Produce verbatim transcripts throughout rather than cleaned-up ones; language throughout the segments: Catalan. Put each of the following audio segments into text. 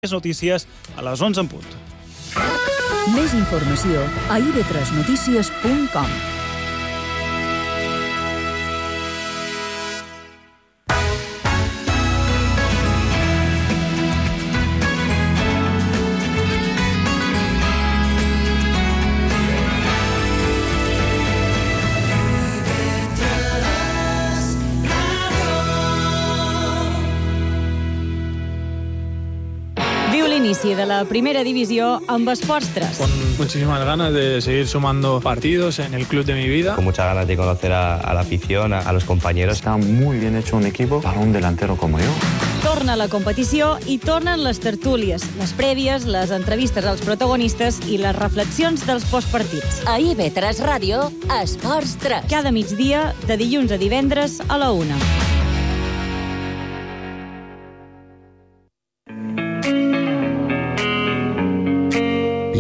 Més notícies a les onze en punt. Més informació a i be tres notícies punt com. L'inici de la primera divisió amb Esports tres. Con muchísimas ganas de seguir sumando partidos en el club de mi vida. Con muchas ganas de conocer a, a la afición, a, a los compañeros. Está muy bien hecho un equipo para un delantero como yo. Torna la competició i tornen les tertúlies, les prèvies, les entrevistes als protagonistes i les reflexions dels postpartits. A i be tres Ràdio, Esports tres. Cada migdia, de dilluns a divendres a la una.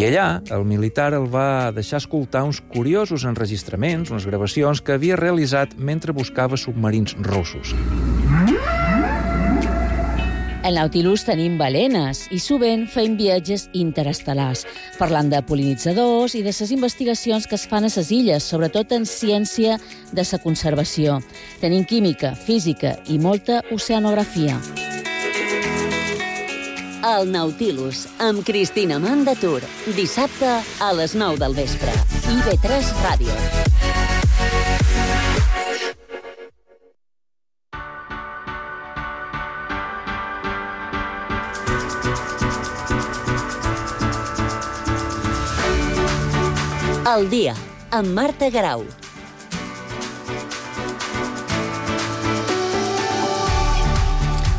I allà, el militar el va deixar escoltar uns curiosos enregistraments, unes gravacions que havia realitzat mentre buscava submarins russos. Al Nautilus tenim balenes i sovint fem viatges interestel·lars, parlant de pol·linitzadors i de les investigacions que es fan a les illes, sobretot en ciència de la conservació. Tenim química, física i molta oceanografia. El Nautilus, amb Cristina Mandatur. Dissabte a les nou del vespre. i be tres Ràdio. El dia, amb Marta Garau.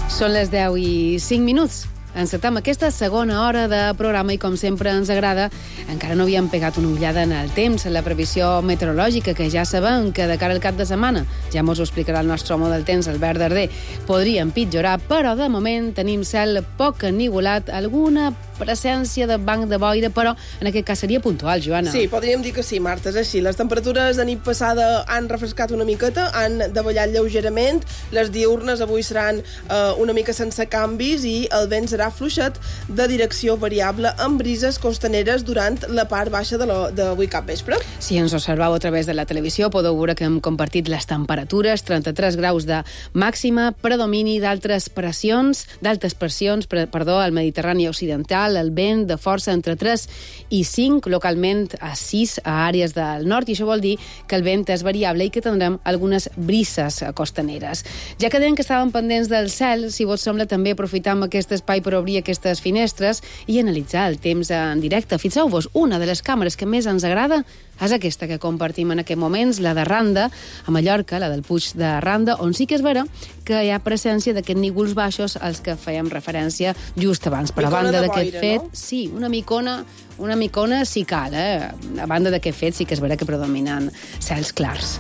Són les deu i cinc minuts. Encetem aquesta segona hora de programa i, com sempre ens agrada, encara no havíem pegat una ullada en el temps, en la previsió meteorològica, que ja sabem que de cara al cap de setmana, ja mos ho explicarà el nostre home del temps, Albert Darder, podria empitjorar, però de moment tenim cel poc ennivolat, alguna presència de banc de boira, però en aquest cas seria puntual, Joana. Sí, podríem dir que sí, Marta, és així. Les temperatures de nit passada han refrescat una miqueta, han davallat lleugerament, les diurnes avui seran eh, una mica sense canvis i el vent serà fluixet de direcció variable amb brises costaneres durant la part baixa d'avui cap vespre. Si ens observeu a través de la televisió, podeu veure que hem compartit les temperatures, trenta-tres graus de màxima, predomini d'altres pressions, d'altes pressions, perdó, al Mediterrani occidental, el vent de força entre tres i cinc, localment a sis a àrees del nord, i això vol dir que el vent és variable i que tindrem algunes brises costaneres. Ja que dèiem que estàvem pendents del cel, si vos sembla, també aprofitam aquest espai per obrir aquestes finestres i analitzar el temps en directe. Fixeu-vos, una de les càmeres que més ens agrada és aquesta que compartim en aquests moments, la de Randa, a Mallorca, la del Puig de Randa, on sí que és vera que hi ha presència d'aquests nívols baixos als que fèiem referència just abans. Per a banda d'aquest fet, no? Sí, una micona, una micona sí cal, eh? A banda d'aquest fet sí que és vera que predominen cels clars.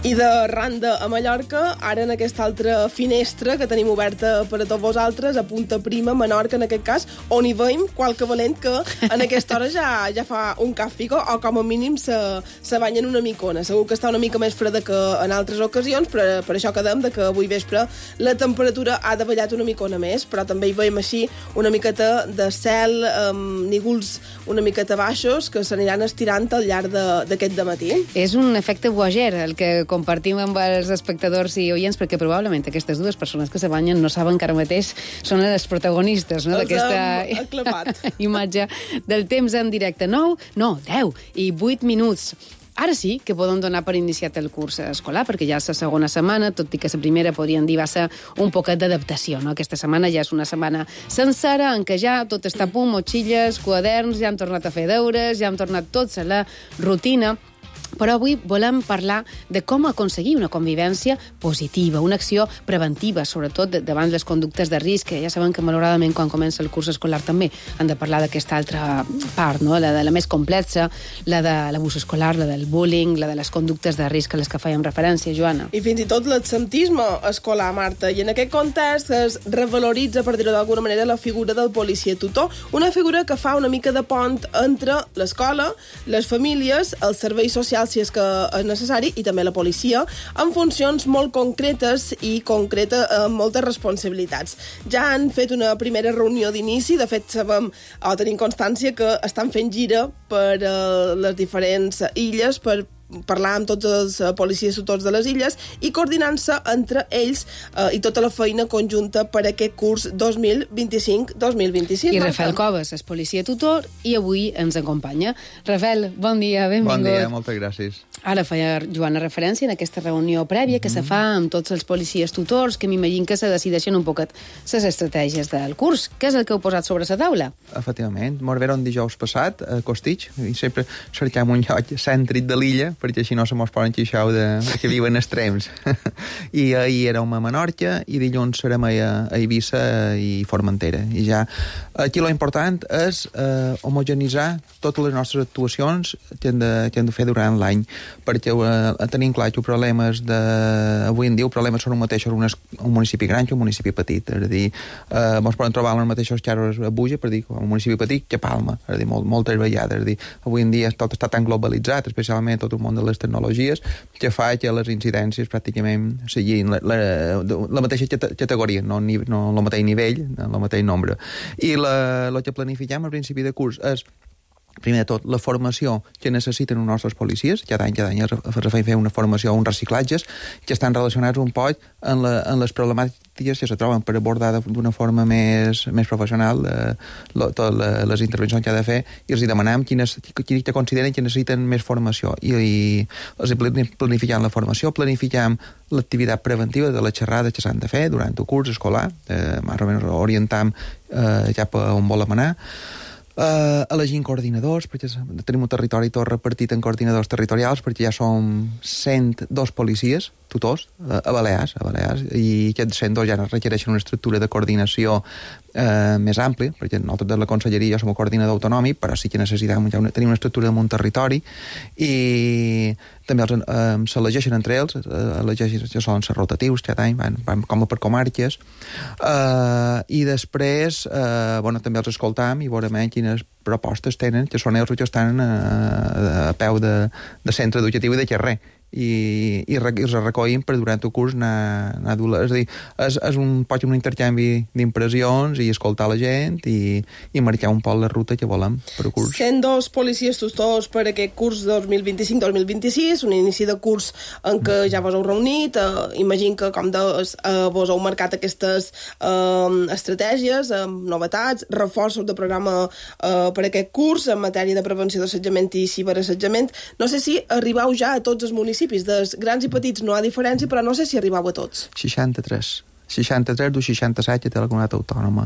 I de Randa a Mallorca, ara en aquesta altra finestra que tenim oberta per a tots vosaltres, a Punta Prima, Menorca, en aquest cas, on hi veiem qualque valent que en aquesta hora ja, ja fa un càfico o com a mínim se, se banya en una micona. Segur que està una mica més freda que en altres ocasions, però per això quedem de que avui vespre la temperatura ha davallat una micona més, però també hi veiem així una miqueta de cel, amb nígols una miqueta baixos que s'aniran estirant al llarg d'aquest dematí. És un efecte Voyager, el que compartim amb els espectadors i oients, perquè probablement aquestes dues persones que se banyen no saben que ara mateix són les protagonistes, no?, d'aquesta imatge del temps en directe. nou, no, deu i vuit minuts. Ara sí que podem donar per iniciat el curs escolar, perquè ja és la segona setmana, tot i que la primera podríem dir va ser un poquet d'adaptació, no? Aquesta setmana ja és una setmana sencera en què ja tot està a punt, motxilles, quaderns, ja hem tornat a fer deures, ja hem tornat tots a la rutina. Però avui volem parlar de com aconseguir una convivència positiva, una acció preventiva, sobretot davant les conductes de risc, que ja sabem que malauradament quan comença el curs escolar també han de parlar d'aquesta altra part, no? La de la més complexa, la de l'abús escolar, la del bullying, la de les conductes de risc a les que fèiem referència, Joana. I fins i tot l'absentisme escolar, Marta. I en aquest context es revaloritza, per dir-ho d'alguna manera, la figura del policia tutor, una figura que fa una mica de pont entre l'escola, les famílies, els serveis socials policial si és que és necessari, i també la policia, amb funcions molt concretes i concreta amb moltes responsabilitats. Ja han fet una primera reunió d'inici, de fet sabem o tenim constància que estan fent gira per uh, les diferents illes per parlar amb tots els policies tutors de les illes i coordinant-se entre ells eh, i tota la feina conjunta per aquest curs dos mil vint-i-cinc dos mil vint-i-sis. I Rafael Coves és policia tutor i avui ens acompanya. Rafael, bon dia, benvingut. Bon dia, moltes gràcies. Ara feia Joana referència en aquesta reunió prèvia que mm. se fa amb tots els policies tutors, que m'imagino que se decideixen un poquet les estratègies del curs. Què és el que heu posat sobre la taula? Efectivament. Mos veron dijous passat a Costitx i sempre cercam un lloc cèntric de l'illa perquè així no se mos poden queixar de que viuen extrems. I ahir érem a Menorca i dilluns serem a, a Eivissa i Formentera. I ja aquí lo important és eh, homogenitzar totes les nostres actuacions que hem de, que hem de fer durant l'any, perquè eh, tenim clar que els problemes de... avui en dia els problemes són un mateix un, un municipi gran que un municipi petit. És a dir, eh, mos poden trobar els mateixos xarros a Buja, per dir, un municipi petit que Palma. És a dir, molt, moltes vegades. És a dir, avui en dia tot està tan globalitzat, especialment tot el món de les tecnologies, que fa que les incidències pràcticament siguin la, la, la mateixa categoria, no, no el mateix nivell, el mateix nombre. I el que planifiquem al principi de curs és, primer de tot, la formació que necessiten els nostres policies. Cada any, cada any es fa una formació, uns reciclatges, que estan relacionats un poc en, la, en les problemàtiques que se troben per abordar d'una forma més, més professional eh, totes les intervencions que ha de fer, i els demanem quines, quines que consideren que necessiten més formació. I, i els planificam la formació, planificam l'activitat preventiva de les xerrades que s'han de fer durant el curs escolar, eh, més o menys orientam eh, cap a on volem anar. Uh, elegint coordinadors, perquè tenim un territori tot repartit en coordinadors territorials, perquè ja som cent dos policies tutors uh, a Balears, a Balears, i aquests cent dos ja requereixen una estructura de coordinació uh, més àmplia, perquè nosaltres de la conselleria ja som un coordinador autonòmic, però sí que necessitem ja una, tenir una estructura en un territori, i també els, uh, s'elegeixen entre ells, uh, elegeixen, ja solen ser rotatius cada any, van, van com per comarques, uh, i després uh, bueno, també els escoltam i veurem quines propostes tenen, que són ells que estan a, a peu de, de centre educatiu i de carrer, i, i, i els recollim per durant el curs anar, anar a dur, és a dir, és, és un poc un intercanvi d'impressions i escoltar la gent i, i marcar un poc la ruta que volem per al curs. cent dos policies tutors per aquest curs dos mil vint-i-cinc dos mil vint-i-sis, un inici de curs en què ja vos heu reunit, eh, imagino que com deus, eh, vos heu marcat aquestes eh, estratègies, eh, novetats, reforços de programa eh, per aquest curs en matèria de prevenció d'assetjament i ciberassetjament. No sé si arribeu ja a tots els municipis, dels grans i petits no hi ha diferència, però no sé si arribau a tots. seixanta-tres. seixanta-tres d'un seixanta-set que té la comunitat autònoma.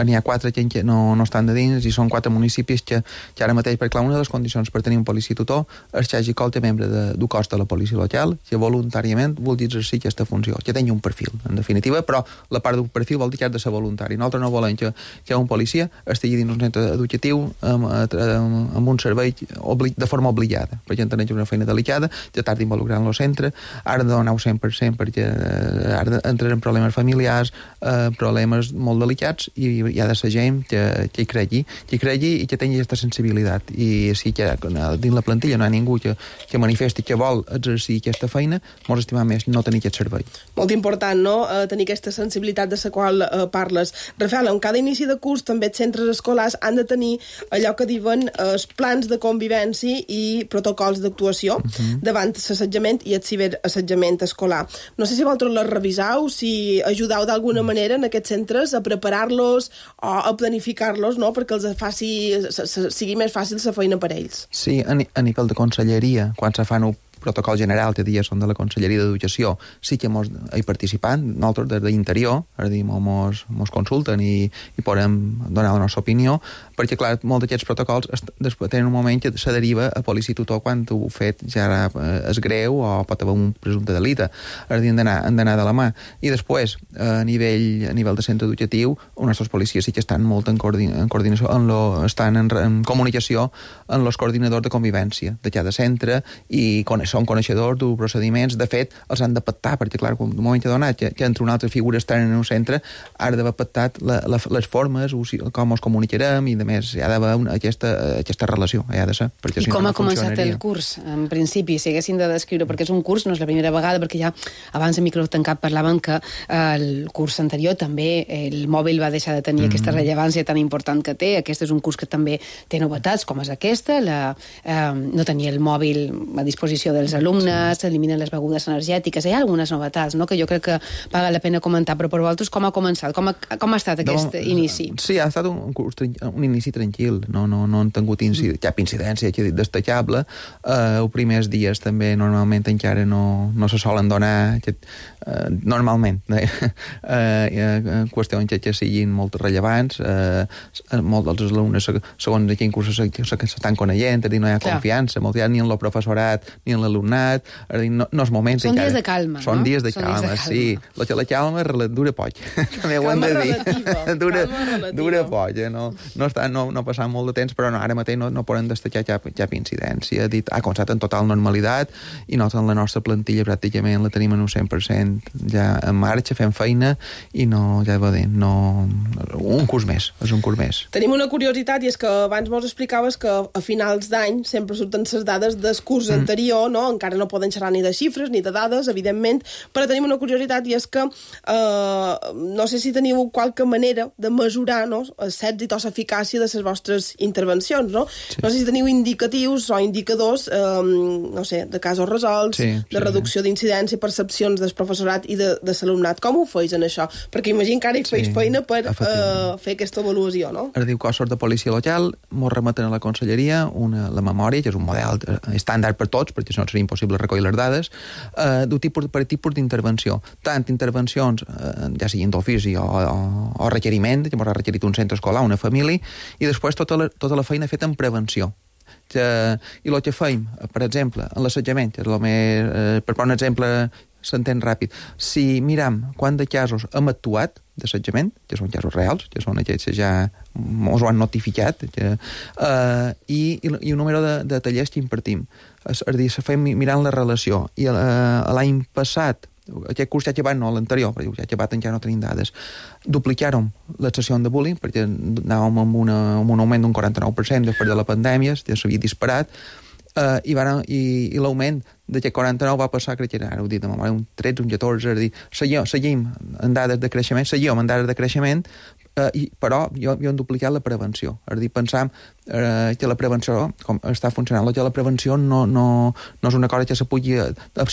N'hi ha quatre que no, no estan de dins i són quatre municipis que, que ara mateix, perquè clar, una de les condicions per tenir un policia tutor és que hagi qualque membre de, del cos de la policia local que voluntàriament vulgui exercir aquesta funció, que tingui un perfil, en definitiva, però la part d'un perfil vol dir que ha de ser voluntari. Nosaltres no volem que, que un policia estigui dins un centre educatiu amb, amb, amb un servei obli, de forma obligada, perquè entenem que és una feina delicada, que tarda involucrar en el centre, ara de donar-ho cent per cent perquè ara entren en problemes familiars, eh, problemes molt delicats, i hi ha de ser gent que, que hi cregui, que hi cregui i que tingui aquesta sensibilitat. I si que dins la plantilla no hi ha ningú que, que manifesti que vol exercir aquesta feina, molt estimar més no tenir aquest servei. Molt important, no?, eh, tenir aquesta sensibilitat de la qual eh, parles. Rafael, en cada inici de curs també els centres escolars han de tenir allò que diuen eh, els plans de convivència i protocols d'actuació uh-huh. davant l'assetjament i el ciberassetjament escolar. No sé si vosaltres les reviseu, si ajudeu d'alguna manera en aquests centres a preparar-los o a planificar-los, no?, perquè els faci, sigui més fàcil la feina per ells. Sí, a, a nivell de conselleria, quan se fan un protocol general, que dies són de la Conselleria d'Educació, sí que mos hi participant, nosaltres des d'interior, és a dir, mos, mos consulten i, i podem donar la nostra opinió, perquè, clar, molts d'aquests protocols després tenen un moment que se deriva a policia tutor quan ho fet ja és greu o pot haver un presumpte delicte. És a dir, han d'anar de la mà. I després, a nivell, a nivell de centre educatiu, els nostres policies sí que estan molt en, coordin en coordinació, en lo, estan en, en comunicació amb els coordinadors de convivència de cada centre i coneixen són coneixedors dels procediments. De fet, els han de pactar, perquè, clar, en un moment donat que, que entre una altra figura externa en un centre, ha d'haver pactat la, la, les formes, com ens comunicarem, i, a més, hi ha d'haver una, aquesta, aquesta relació, hi ha de ser. I si com no, ha no començat el curs? En principi, si haguessin de descriure, perquè és un curs, no és la primera vegada, perquè ja abans de micro tancat parlaven que el curs anterior també el mòbil va deixar de tenir mm. aquesta rellevància tan important que té. Aquest és un curs que també té novetats, com és aquesta, la, eh, no tenir el mòbil a disposició dels alumnes, s'eliminen sí. les begudes energètiques, hi ha algunes novetats, no?, que jo crec que paga la pena comentar, però per vosaltres com ha començat? Com ha, com ha estat aquest no, inici? Sí, ha estat un, un, curs, un inici tranquil, no, no, no han tingut incidència, mm. cap incidència que destacable. Uh, els primers dies també normalment encara no, no se solen donar aquest, uh, normalment eh, uh, qüestions que, que siguin molt rellevants. Uh, molts dels alumnes, segons a quin curs s'estan coneixent, no hi ha Clar. confiança, molt, ni en el professorat ni en l'alumnat, no, no és moment. Són encara. dies de calma, Són no? dies de Són calma, dies de calma. sí. La, la calma dura poc. També ho hem de dir. Dura, dura poc, eh? no, no, està, no, no passant molt de temps, però no, ara mateix no, no poden destacar cap, cap incidència. Ha dit, ha començat en total normalitat i nosaltres la nostra plantilla pràcticament la tenim en un cent per cent ja en marxa, fem feina i no, ja va dir, no... Un curs més, és un curs més. Tenim una curiositat i és que abans mos explicaves que a finals d'any sempre surten les dades del curs mm. anterior, no? Encara no poden xerrar ni de xifres ni de dades, evidentment, però tenim una curiositat i és que eh, no sé si teniu qualque manera de mesurar, no?, l'èxit o l'eficàcia de les vostres intervencions, no? Sí. No sé si teniu indicatius o indicadors, eh, no sé, de casos resolts, sí, de sí, reducció sí. d'incidència, percepcions del professorat i de, de l'alumnat. Com ho feis en això? Perquè imagino que ara hi feis sí, feina per eh, fer aquesta avaluació, no? Es diu cossos de policia local, mos remeten a la conselleria una, la memòria, que és un model estàndard per tots, perquè si no seria impossible recollir les dades, eh, d'un tipus, per tipus d'intervenció. Tant intervencions, eh, ja siguin d'ofici o, o, o requeriment, que mos ha requerit un centre escolar, una família, i després tota la, tota la feina feta en prevenció. Que, i el que feim, per exemple, en l'assetjament, que és el més, eh, per posar un exemple s'entén ràpid, si miram quant de casos hem actuat d'assetjament, que són casos reals, que són aquells que ja ens ho han notificat, que, eh, i, i un número de, de tallers que impartim. És a dir, se fem mirant la relació. I eh, l'any passat, aquest curs ja acabat, no l'anterior, perquè ja acabat encara no tenim dades, duplicàrem les sessions de bullying, perquè anàvem amb, una, amb un augment d'un quaranta-nou per cent després de la pandèmia, ja s'havia disparat, Uh, i, van, i, i l'augment d'aquest quaranta-nou va passar, crec que era, ara ho dit, un tretze, un catorze, és a dir, seguim, seguim en dades de creixement, seguim en dades de creixement, uh, i, però jo, jo hem duplicat la prevenció. És a dir, pensam uh, que la prevenció, com està funcionant, que la prevenció no, no, no és una cosa que se pugui,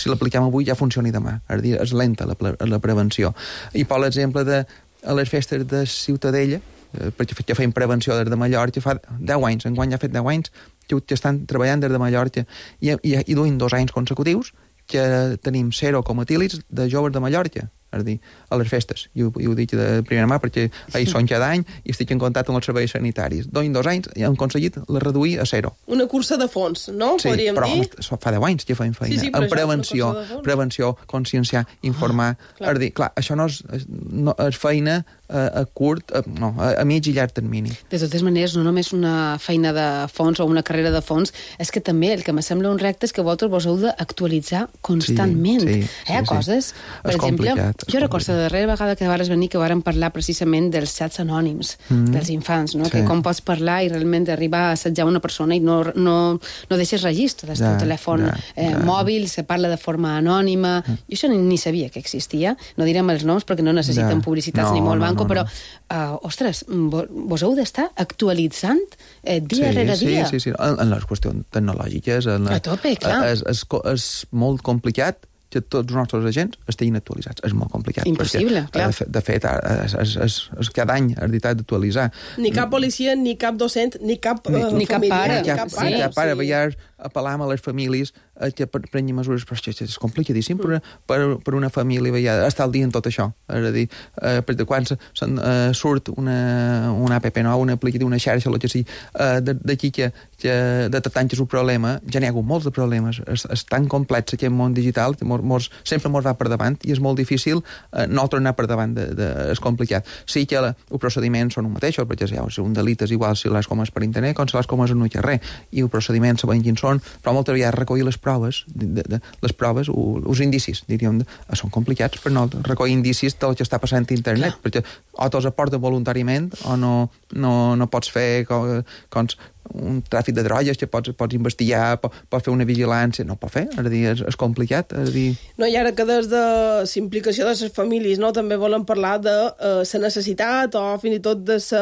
si l'apliquem avui ja funcioni demà. És a dir, és lenta la, la prevenció. I per l'exemple de a les festes de Ciutadella, uh, perquè ja feim prevenció des de Mallorca, fa deu anys, enguany ja ha fet deu anys, que estan treballant des de Mallorca i, i, i duim dos anys consecutius que tenim zero cometílids de joves de Mallorca, és a dir, a les festes. I ho, i ho dic de primera mà perquè ahir són cada any i estic en contacte amb els serveis sanitaris. Duim dos anys i hem aconseguit la reduir a zero. Una cursa de fons, no? Sí, podríem però dir? fa deu anys que fem feina. Sí, sí, en prevenció, prevenció, conscienciar, informar. Ah, clar. És a dir, clar, això no és, no, és feina a, a curt, a, no, a, a mig i llarg termini. De totes maneres, no només una feina de fons o una carrera de fons, és que també el que me sembla un repte és que vosaltres vos heu d'actualitzar constantment. Sí, sí, Hi ha sí, coses, sí. per és exemple, jo recordo la darrera vegada que vares venir que varen parlar precisament dels xats anònims, mm. dels infants, no? Sí. Que com pots parlar i realment arribar a assetjar una persona i no, no, no deixes registre del teu ja, telèfon ja, eh, ja. mòbil, se parla de forma anònima. Mm. Jo això ni, ni sabia que existia. No direm els noms perquè no necessiten ja. publicitats no, ni molt no, banco, no, no. però, uh, ostres, vos, vos heu d'estar actualitzant eh, dia sí, rere dia. Sí, sí, sí. En, en les qüestions tecnològiques en la, a tope, clar. És, és, és molt complicat que tots els nostres agents estiguin actualitzats. És molt complicat. Impossible, perquè, clar. De, de fet, és, és, és, és cada any és veritat d'actualitzar. Ni cap policia, ni cap docent, ni cap ni, uh, ni família. Cap pare. Ni cap pare. Ni cap pare. Sí. Veiem, apel·lam a les famílies eh, que prenguin mesures, però és, és complicadíssim per, per, per una família veia, estar al dia en tot això. És a dir, eh, perquè quan se, se, uh, surt una, una app nova, una aplicació, una xarxa, el que sigui, uh, d'aquí que, que detectant que és un problema, ja n'hi ha hagut molts de problemes. És, és tan complex aquest món digital que mos, mos, sempre mos va per davant i és molt difícil eh, no tornar per davant. De, de, és complicat. Sí que la, els procediments són un mateix, perquè ja, és un delit és igual si les comes per internet com si les comes en un carrer, i el procediment sabem quins són, són... Però moltes vegades recollir les proves, de, de, les proves, els indicis, diríem, són complicats per no recollir indicis del que està passant a internet, clar. Perquè o te'ls aporten voluntàriament o no, no, no pots fer com, com un tràfic de drogues que pots, pots investigar, pots, pots fer una vigilància, no pot fer, és a dir, és, és complicat, és a dir... No, i ara que des de l'implicació de les famílies, no, també volen parlar de uh, la necessitat o fins i tot de la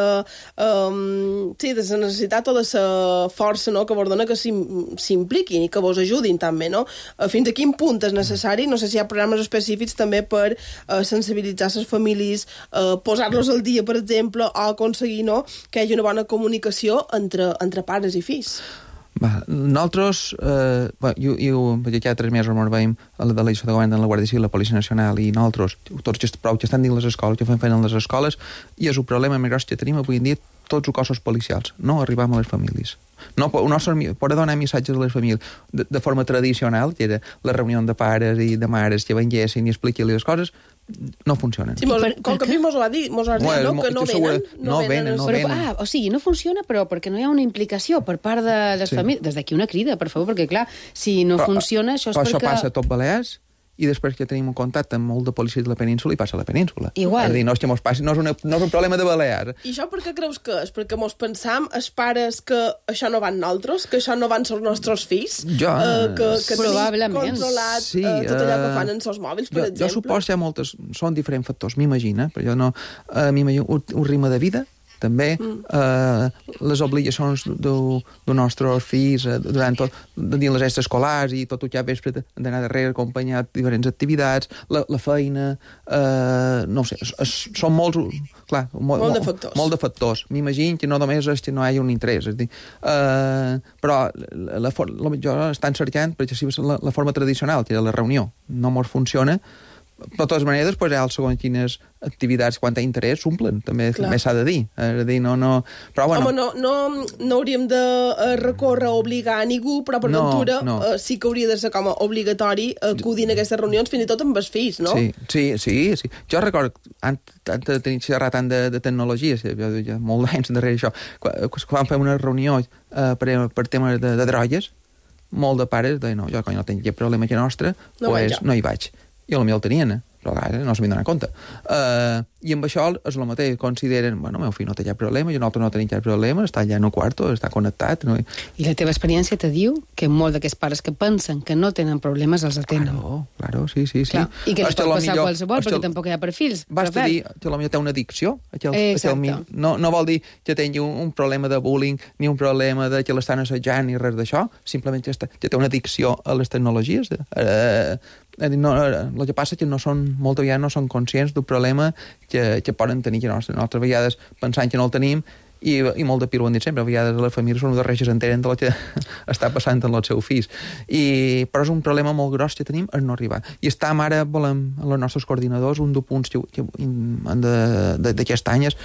um, sí, de la necessitat o de la força, no, que vos dona que s'impliquin i que vos ajudin també, no? Uh, fins a quin punt és necessari? No sé si hi ha programes específics també per uh, sensibilitzar les famílies, uh, posar-los al dia, per exemple, o aconseguir, no, que hi hagi una bona comunicació entre, entre entre pares i fills. Va, nosaltres, eh, jo, jo, perquè cada tres mesos ens veiem a la delegació de govern de la Guàrdia Civil, la Policia Nacional i nosaltres, tots els prou que estan dins les escoles, que fan feina en les escoles, i és un problema més gros que tenim avui en dia tots els cossos policials, no arribam a les famílies. No, no per donar missatges a les famílies de, de forma tradicional, que era la reunió de pares i de mares que venguessin i expliqui-li les coses, no funcionen. Sí, mos, com que a mi mos ho ha dit, mos ho ha dit, bueno, no? Que no venen. No venen, no venen. Ah, o sigui, no funciona, però perquè no hi ha una implicació per part de les sí. famílies. Des d'aquí una crida, per favor, perquè, clar, si no però, funciona, això és però perquè... Això passa a tot Balears, i després que tenim un contacte amb molt de policies de la península i passa a la península. Igual. És a dir, no és que mos passi, no és, una, no és un problema de Balears. I això per què creus que és? Perquè mos pensam, els pares, que això no van nosaltres, que això no van els nostres fills, jo, eh, que, que tenim controlat sí, eh, tot allò que fan en els seus mòbils, per jo, exemple. Jo suposo que hi ha moltes... Són diferents factors, m'imagina, però jo no... Uh, m'imagino un, un ritme de vida, també, mm. eh, les obligacions dels nostres fills eh, durant tot, dins les estes escolars i tot el que ha vespre d'anar darrere acompanyat diferents activitats, la, la feina, eh, no ho sé, es, es, són molts, clar, molt, molt de factors. Molt de factors. M'imagino que no només és que no hi ha un interès, és dir, eh, però la, la, la, jo estan cercant, perquè si la, la forma tradicional, que era la reunió, no mos funciona. De totes maneres, pues, ja, segons quines activitats, quan hi ha interès, s'omplen, també, també s'ha de dir. És a dir, no, no... Però, bueno... Home, no, no, no hauríem de recórrer a obligar a ningú, però per no, ventura no. eh, sí que hauria de ser com a obligatori acudir a aquestes reunions, fins i tot amb els fills, no? Sí, sí, sí. sí. Jo recordo, antes de tenir xerrat tant de, de tecnologia, jo, ja molt d'anys darrere això, quan, quan fem una reunió eh, per, per temes de, de drogues, molt de pares deien, no, jo quan no tinc cap problema que nostre, no, pues, no hi vaig. I potser el tenien, però ara no s'havien donat compte. Uh, I amb això és el mateix, consideren, bueno, meu fill no té cap problema, jo nosaltres no tenim cap problema, està allà en el quarto, està connectat. No? I la teva experiència te diu que molt d'aquests pares que pensen que no tenen problemes els atenen. Claro, claro, sí, sí, sí. Clar. I que li pot passar millor, qualsevol, perquè el... tampoc hi ha perfils. Basta dir que potser té una addicció, que el, Exacte. Que el, no, no vol dir que tingui un, un problema de bullying, ni un problema de que l'estan assetjant, ni res d'això, simplement que, està, que té una addicció a les tecnologies. Eh, No, el que passa és que no són, moltes vegades no són conscients del problema que, que poden tenir, que nostres, nostres vegades pensant que no el tenim, i, i molt de pir ho han dit sempre, a vegades les famílies són de reixes enteren de lo que està passant amb els seus fills. I, però és un problema molt gros que tenim, és no arribar. I estem ara, volem, amb els nostres coordinadors, un dels punts que, que, d'aquest any és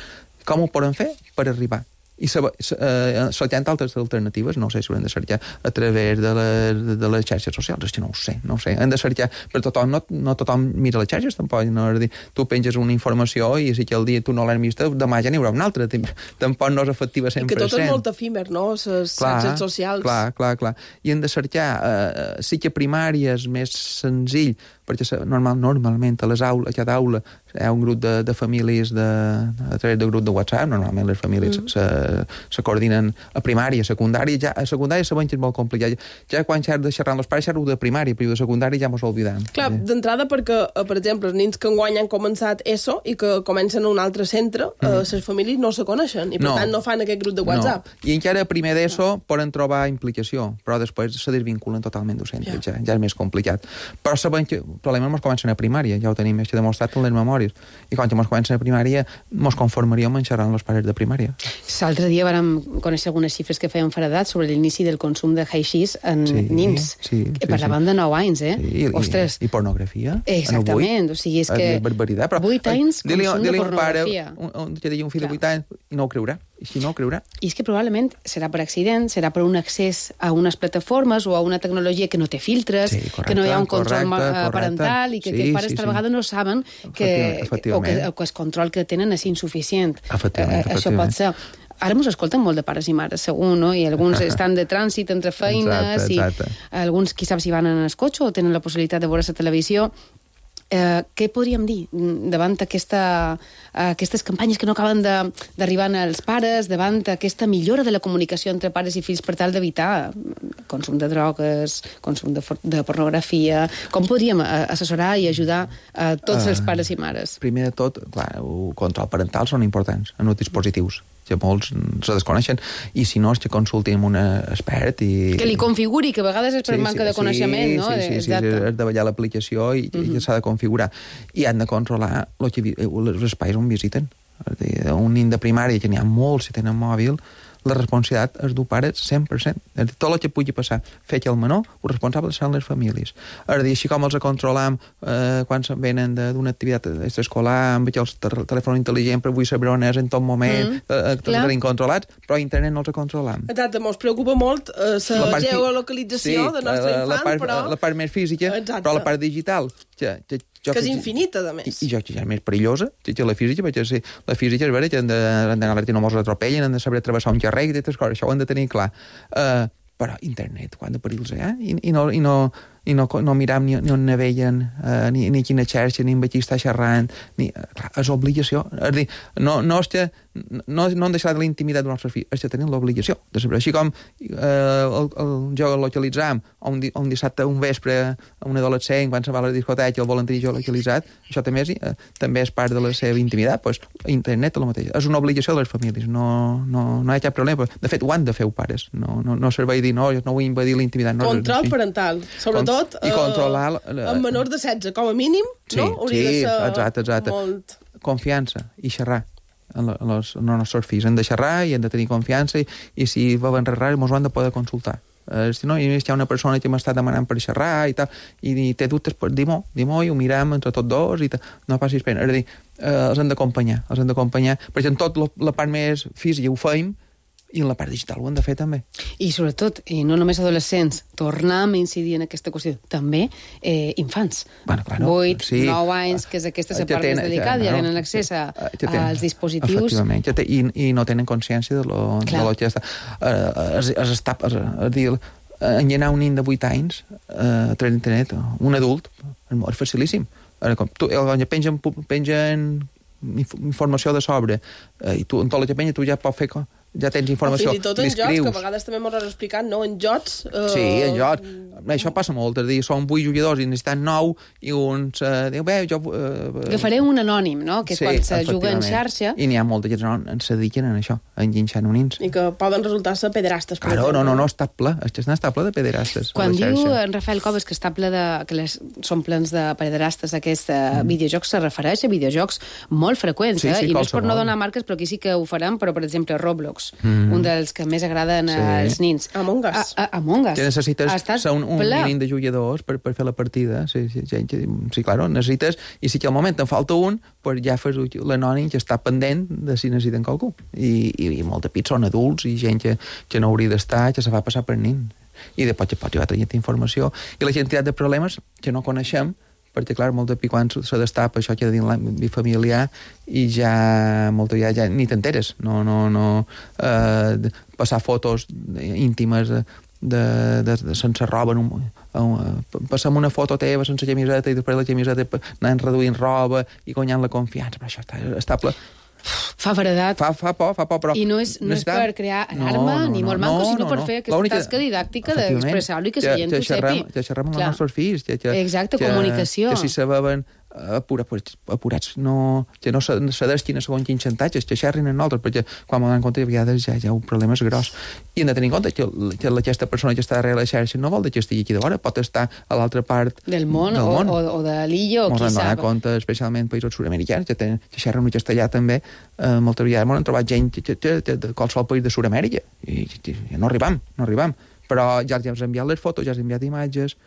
com ho poden fer per arribar. I eh, cercant altres alternatives, no sé si ho hem de cercar a través de les, de les xarxes socials, és que no ho sé, no ho sé. Hem de cercar, però tothom, no, no tothom mira les xarxes, tampoc, no, és dir, tu penges una informació i si que el dia tu no l'has vista, demà ja n'hi haurà una altra, tampoc no és efectiva cent per cent. I que tot és molt efímer, no?, les xarxes socials. Clar, clar, clar. I hem de cercar, eh, sí que primària és més senzill, perquè normal, normalment a les aules, a cada aula hi ha un grup de, de famílies de, a través del grup de WhatsApp, normalment les famílies mm. se, se coordinen a primària, a secundària, ja, a secundària sabem que és molt complicat. Ja quan s'ha de xerrar amb els pares s'ha de primària, però de secundària ja mos oblidem. Clar, sí. D'entrada perquè, per exemple, els nens que enguany han començat ESO i que comencen a un altre centre, mm. eh, les famílies no se coneixen i per no. tant no fan aquest grup de WhatsApp. No. I encara primer d'ESO no. poden trobar implicació, però després se desvinculen totalment del centre, ja. Ja, ja és més complicat. Però sabem que el problema mos comencen a primària, ja ho tenim més que demostrat en les memòries. I quan mos comencen a primària, mos conformaríem en xerrar amb els pares de primària. L'altre dia vàrem conèixer algunes xifres que feien feredat sobre l'inici del consum de haixís en sí, nins. Sí, sí, parlaven sí. de nou anys, eh? Sí, ostres. I, i pornografia. Exactament, o sigui, és que... És barbaritat, però... vuit anys consum de pornografia. Un pare, un, que digui un fill de vuit anys i no ho creurà. I si no ho creurà. I és que probablement serà per accident, serà per un accés a unes plataformes o a una tecnologia que no té filtres, sí, correcte, que no hi ha un control correcte, parental i que sí, aquests pares sí, tal sí. vegada no saben que, o, que, o que el control que tenen és insuficient. Efectivament, eh, això pot ser. ara mos escolten molt de pares i mares, segur, no? I alguns estan de trànsit entre feines, exacte, exacte. I alguns, qui sap si van en el cotxe o tenen la possibilitat de veure la televisió. Eh, què podríem dir davant aquesta, aquestes campanyes que no acaben d'arribar als pares, davant aquesta millora de la comunicació entre pares i fills per tal d'evitar consum de drogues, consum de, de pornografia? Com podríem assessorar i ajudar a tots els pares i mares? Uh, primer de tot, clar, el control parental són importants en els dispositius, que molts se desconeixen, i si no és que consultin amb un expert i... Que li configuri, que a vegades és per sí, manca sí, de coneixement, sí, no? Sí, sí, sí, és de ballar l'aplicació i, uh-huh. i s'ha de configurar. I han de controlar els espais on visiten. Un nin de primària, que n'hi ha molts si tenen mòbil, la responsabilitat és d'un pare cent per cent. Tot el que pugui passar, fet el menor, els responsables són les famílies. És a dir, així com els controlam eh, quan se'n venen d'una activitat extraescolar, amb el telèfon intel·ligent per vull saber on és en tot moment, mm, eh, tots els tenim controlats, però internet no els controlam. Exacte, mos preocupa molt eh, la geolocalització sí, del nostre infant, la part, però... La part més física, exacte. Però la part digital... Que, que, que, que és infinita, a més. I, i jo que ja és més perillosa, que, que la física, perquè sí, la física és vera, que han d'anar a l'art i no mos atropellen, han de saber travessar un carrer i aquestes coses, això ho han de tenir clar. Uh, però internet, quant de perills hi ha? I, i no... I no i no, no miram ni, ni on naveguen, eh, ni, ni quina xarxa, ni amb qui està xerrant, ni, clar, és obligació. És dir, no, no és que no, no han deixat de la intimitat dels nostres fills, és que tenen l'obligació de saber. Així com eh, el, el geolocalitzam, un, un dissabte, un vespre, un adolescent, quan se va a la discoteca, el volen tenir geolocalitzat, això també és, eh, també és part de la seva intimitat. Pues, internet és el mateix. És una obligació de les famílies, no, no, no hi ha cap problema. De fet, ho han de fer els pares. No, no, no serveix dir, no, no vull invadir la intimitat. No, Control sí. parental, sobretot tot, i controlar... Uh, amb menors de setze, com a mínim, sí, no? Hauria sí, de ser exacte, exacte. molt... Confiança i xerrar en els nostres fills. Han de xerrar i han de tenir confiança i, i si volen res, ens ho han de poder consultar. Uh, si no, hi ha una persona que m'està demanant per xerrar i tal, i, i té dubtes, pues, di-m'ho, di-m'ho i ho mirem entre tots dos i tal. No passis pena. És a dir, uh, els han d'acompanyar, els han d'acompanyar, perquè en tot lo, la part més física ho feim, i en la part digital ho han de fer també. I sobretot, i no només adolescents, tornem a incidir en aquesta qüestió, també eh, infants. Bueno, claro, vuit, sí. nou anys, que és aquesta la part més delicada, ja, no, ja tenen accés a, als dispositius. Efectivament, ja té, i, i no tenen consciència de lo, de lo que està. Uh, es, es està, es, es dir, engenar un nin de vuit anys uh, a través d'internet, un adult, és facilíssim. Uh, com, tu, pengen, pengen informació de sobre, uh, i tu, en tot el que penja, tu ja pots fer com ja tens informació, fins i tot en jocs, que a vegades també m'ho has explicat, no? En jocs... Uh... Sí, en jocs. Això passa molt, és a dir, són vuit jugadors i necessiten nou, i uns uh, diu, bé, jo... Uh, Agafaré un anònim, no? Que és sí, quan se juga en xarxa. I n'hi ha molta gent que no se dediquen a això, a enginxar nonins. I que poden resultar-se pederastes, per claro, exemple. no, no, no, està ple, és que està ple de pederastes. Quan diu en Rafael Coves que està ple de... que les, són plens de pederastes aquests mm. videojocs, se refereix a videojocs molt freqüents, sí, eh? sí, I no és per no donar marques, però aquí sí que ho farem, però, per exemple, Roblox, mm. un dels que més agraden sí. als nins. Among Us. A, a, Among Us. Que necessites ser un, un mínim de jugadors per, per fer la partida. Sí, sí, sí, sí, claro, necessites... I si que al moment en falta un, pues ja fas l'anònim que està pendent de si necessiten qualcú. I, i, i molts de pits són adults i gent que, que no hauria d'estar, que se fa passar per nin. I després que pot arribar a tenir informació. I la quantitat de problemes que no coneixem, perquè, clar, molt de pi quan se destapa això que ha de dir l'àmbit familiar i ja, molt ja, ja ni t'enteres. No, no, no... Eh, passar fotos íntimes de, de, de, de sense roba, en un, un, passar una foto teva sense camiseta i després la camiseta anant reduint roba i guanyant la confiança. Però això està estable. Fa veredat. Fa, fa por, fa por, però... I no és, no és per crear alarma, no, no, ni molt no, manco, sinó no, per no. fer aquesta única... tasca didàctica d'expressar-ho i que la gent ho xerrem, sepi. Que xerrem amb els nostres fills. Que, que, Exacte, que, comunicació. Que si se veuen apurats, apurats no, que no s'adestin a segons quins xantatges, que xerrin en nosaltres, perquè quan m'ho donen compte, a vegades ja hi ha un problema gros. I hem de tenir en compte que, que aquesta persona que està darrere la xarxa no vol que estigui aquí de vora, pot estar a l'altra part del món, del món. O, o, o de l'illa, o qui sap. Ens hem de donar compte, especialment països sud-americans, que, ten, que xerren en castellà també, eh, moltes vegades m'han trobat gent que, que, que, de qualsevol país de Sud-amèrica, i, i, i no arribam, no arribam. Però ja els hem enviat les fotos, ja els hem enviat imatges,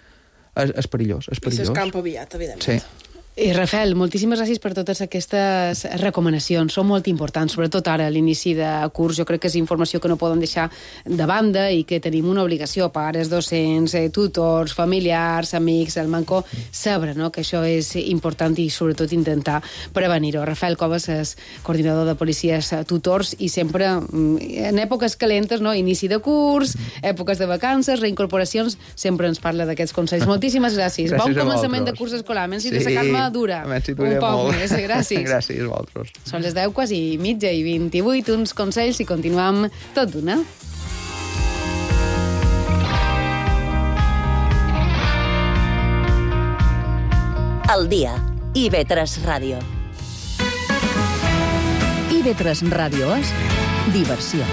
és, és perillós, és perillós. I s'escampa aviat, evidentment. Sí. I Rafael, moltíssimes gràcies per totes aquestes recomanacions. Són molt importants, sobretot ara, a l'inici de curs. Jo crec que és informació que no podem deixar de banda i que tenim una obligació, pares, docents, eh, tutors, familiars, amics, el Manco, saber, no?, que això és important i sobretot intentar prevenir-ho. Rafael Coves és coordinador de policies tutors i sempre, en èpoques calentes, no?, inici de curs, èpoques de vacances, reincorporacions, sempre ens parla d'aquests consells. Moltíssimes gràcies. Gràcies bon a començament vosaltres. de curs escolar. Menys Sí. de sacar-me dura. Si un poc molt. més. Gràcies. Gràcies a vosaltres. Són les deu quasi mitja i vint-i-vuit, uns consells i continuem tot d'una. El dia. I ve tres Ràdio. I ve tres Ràdio és diversió.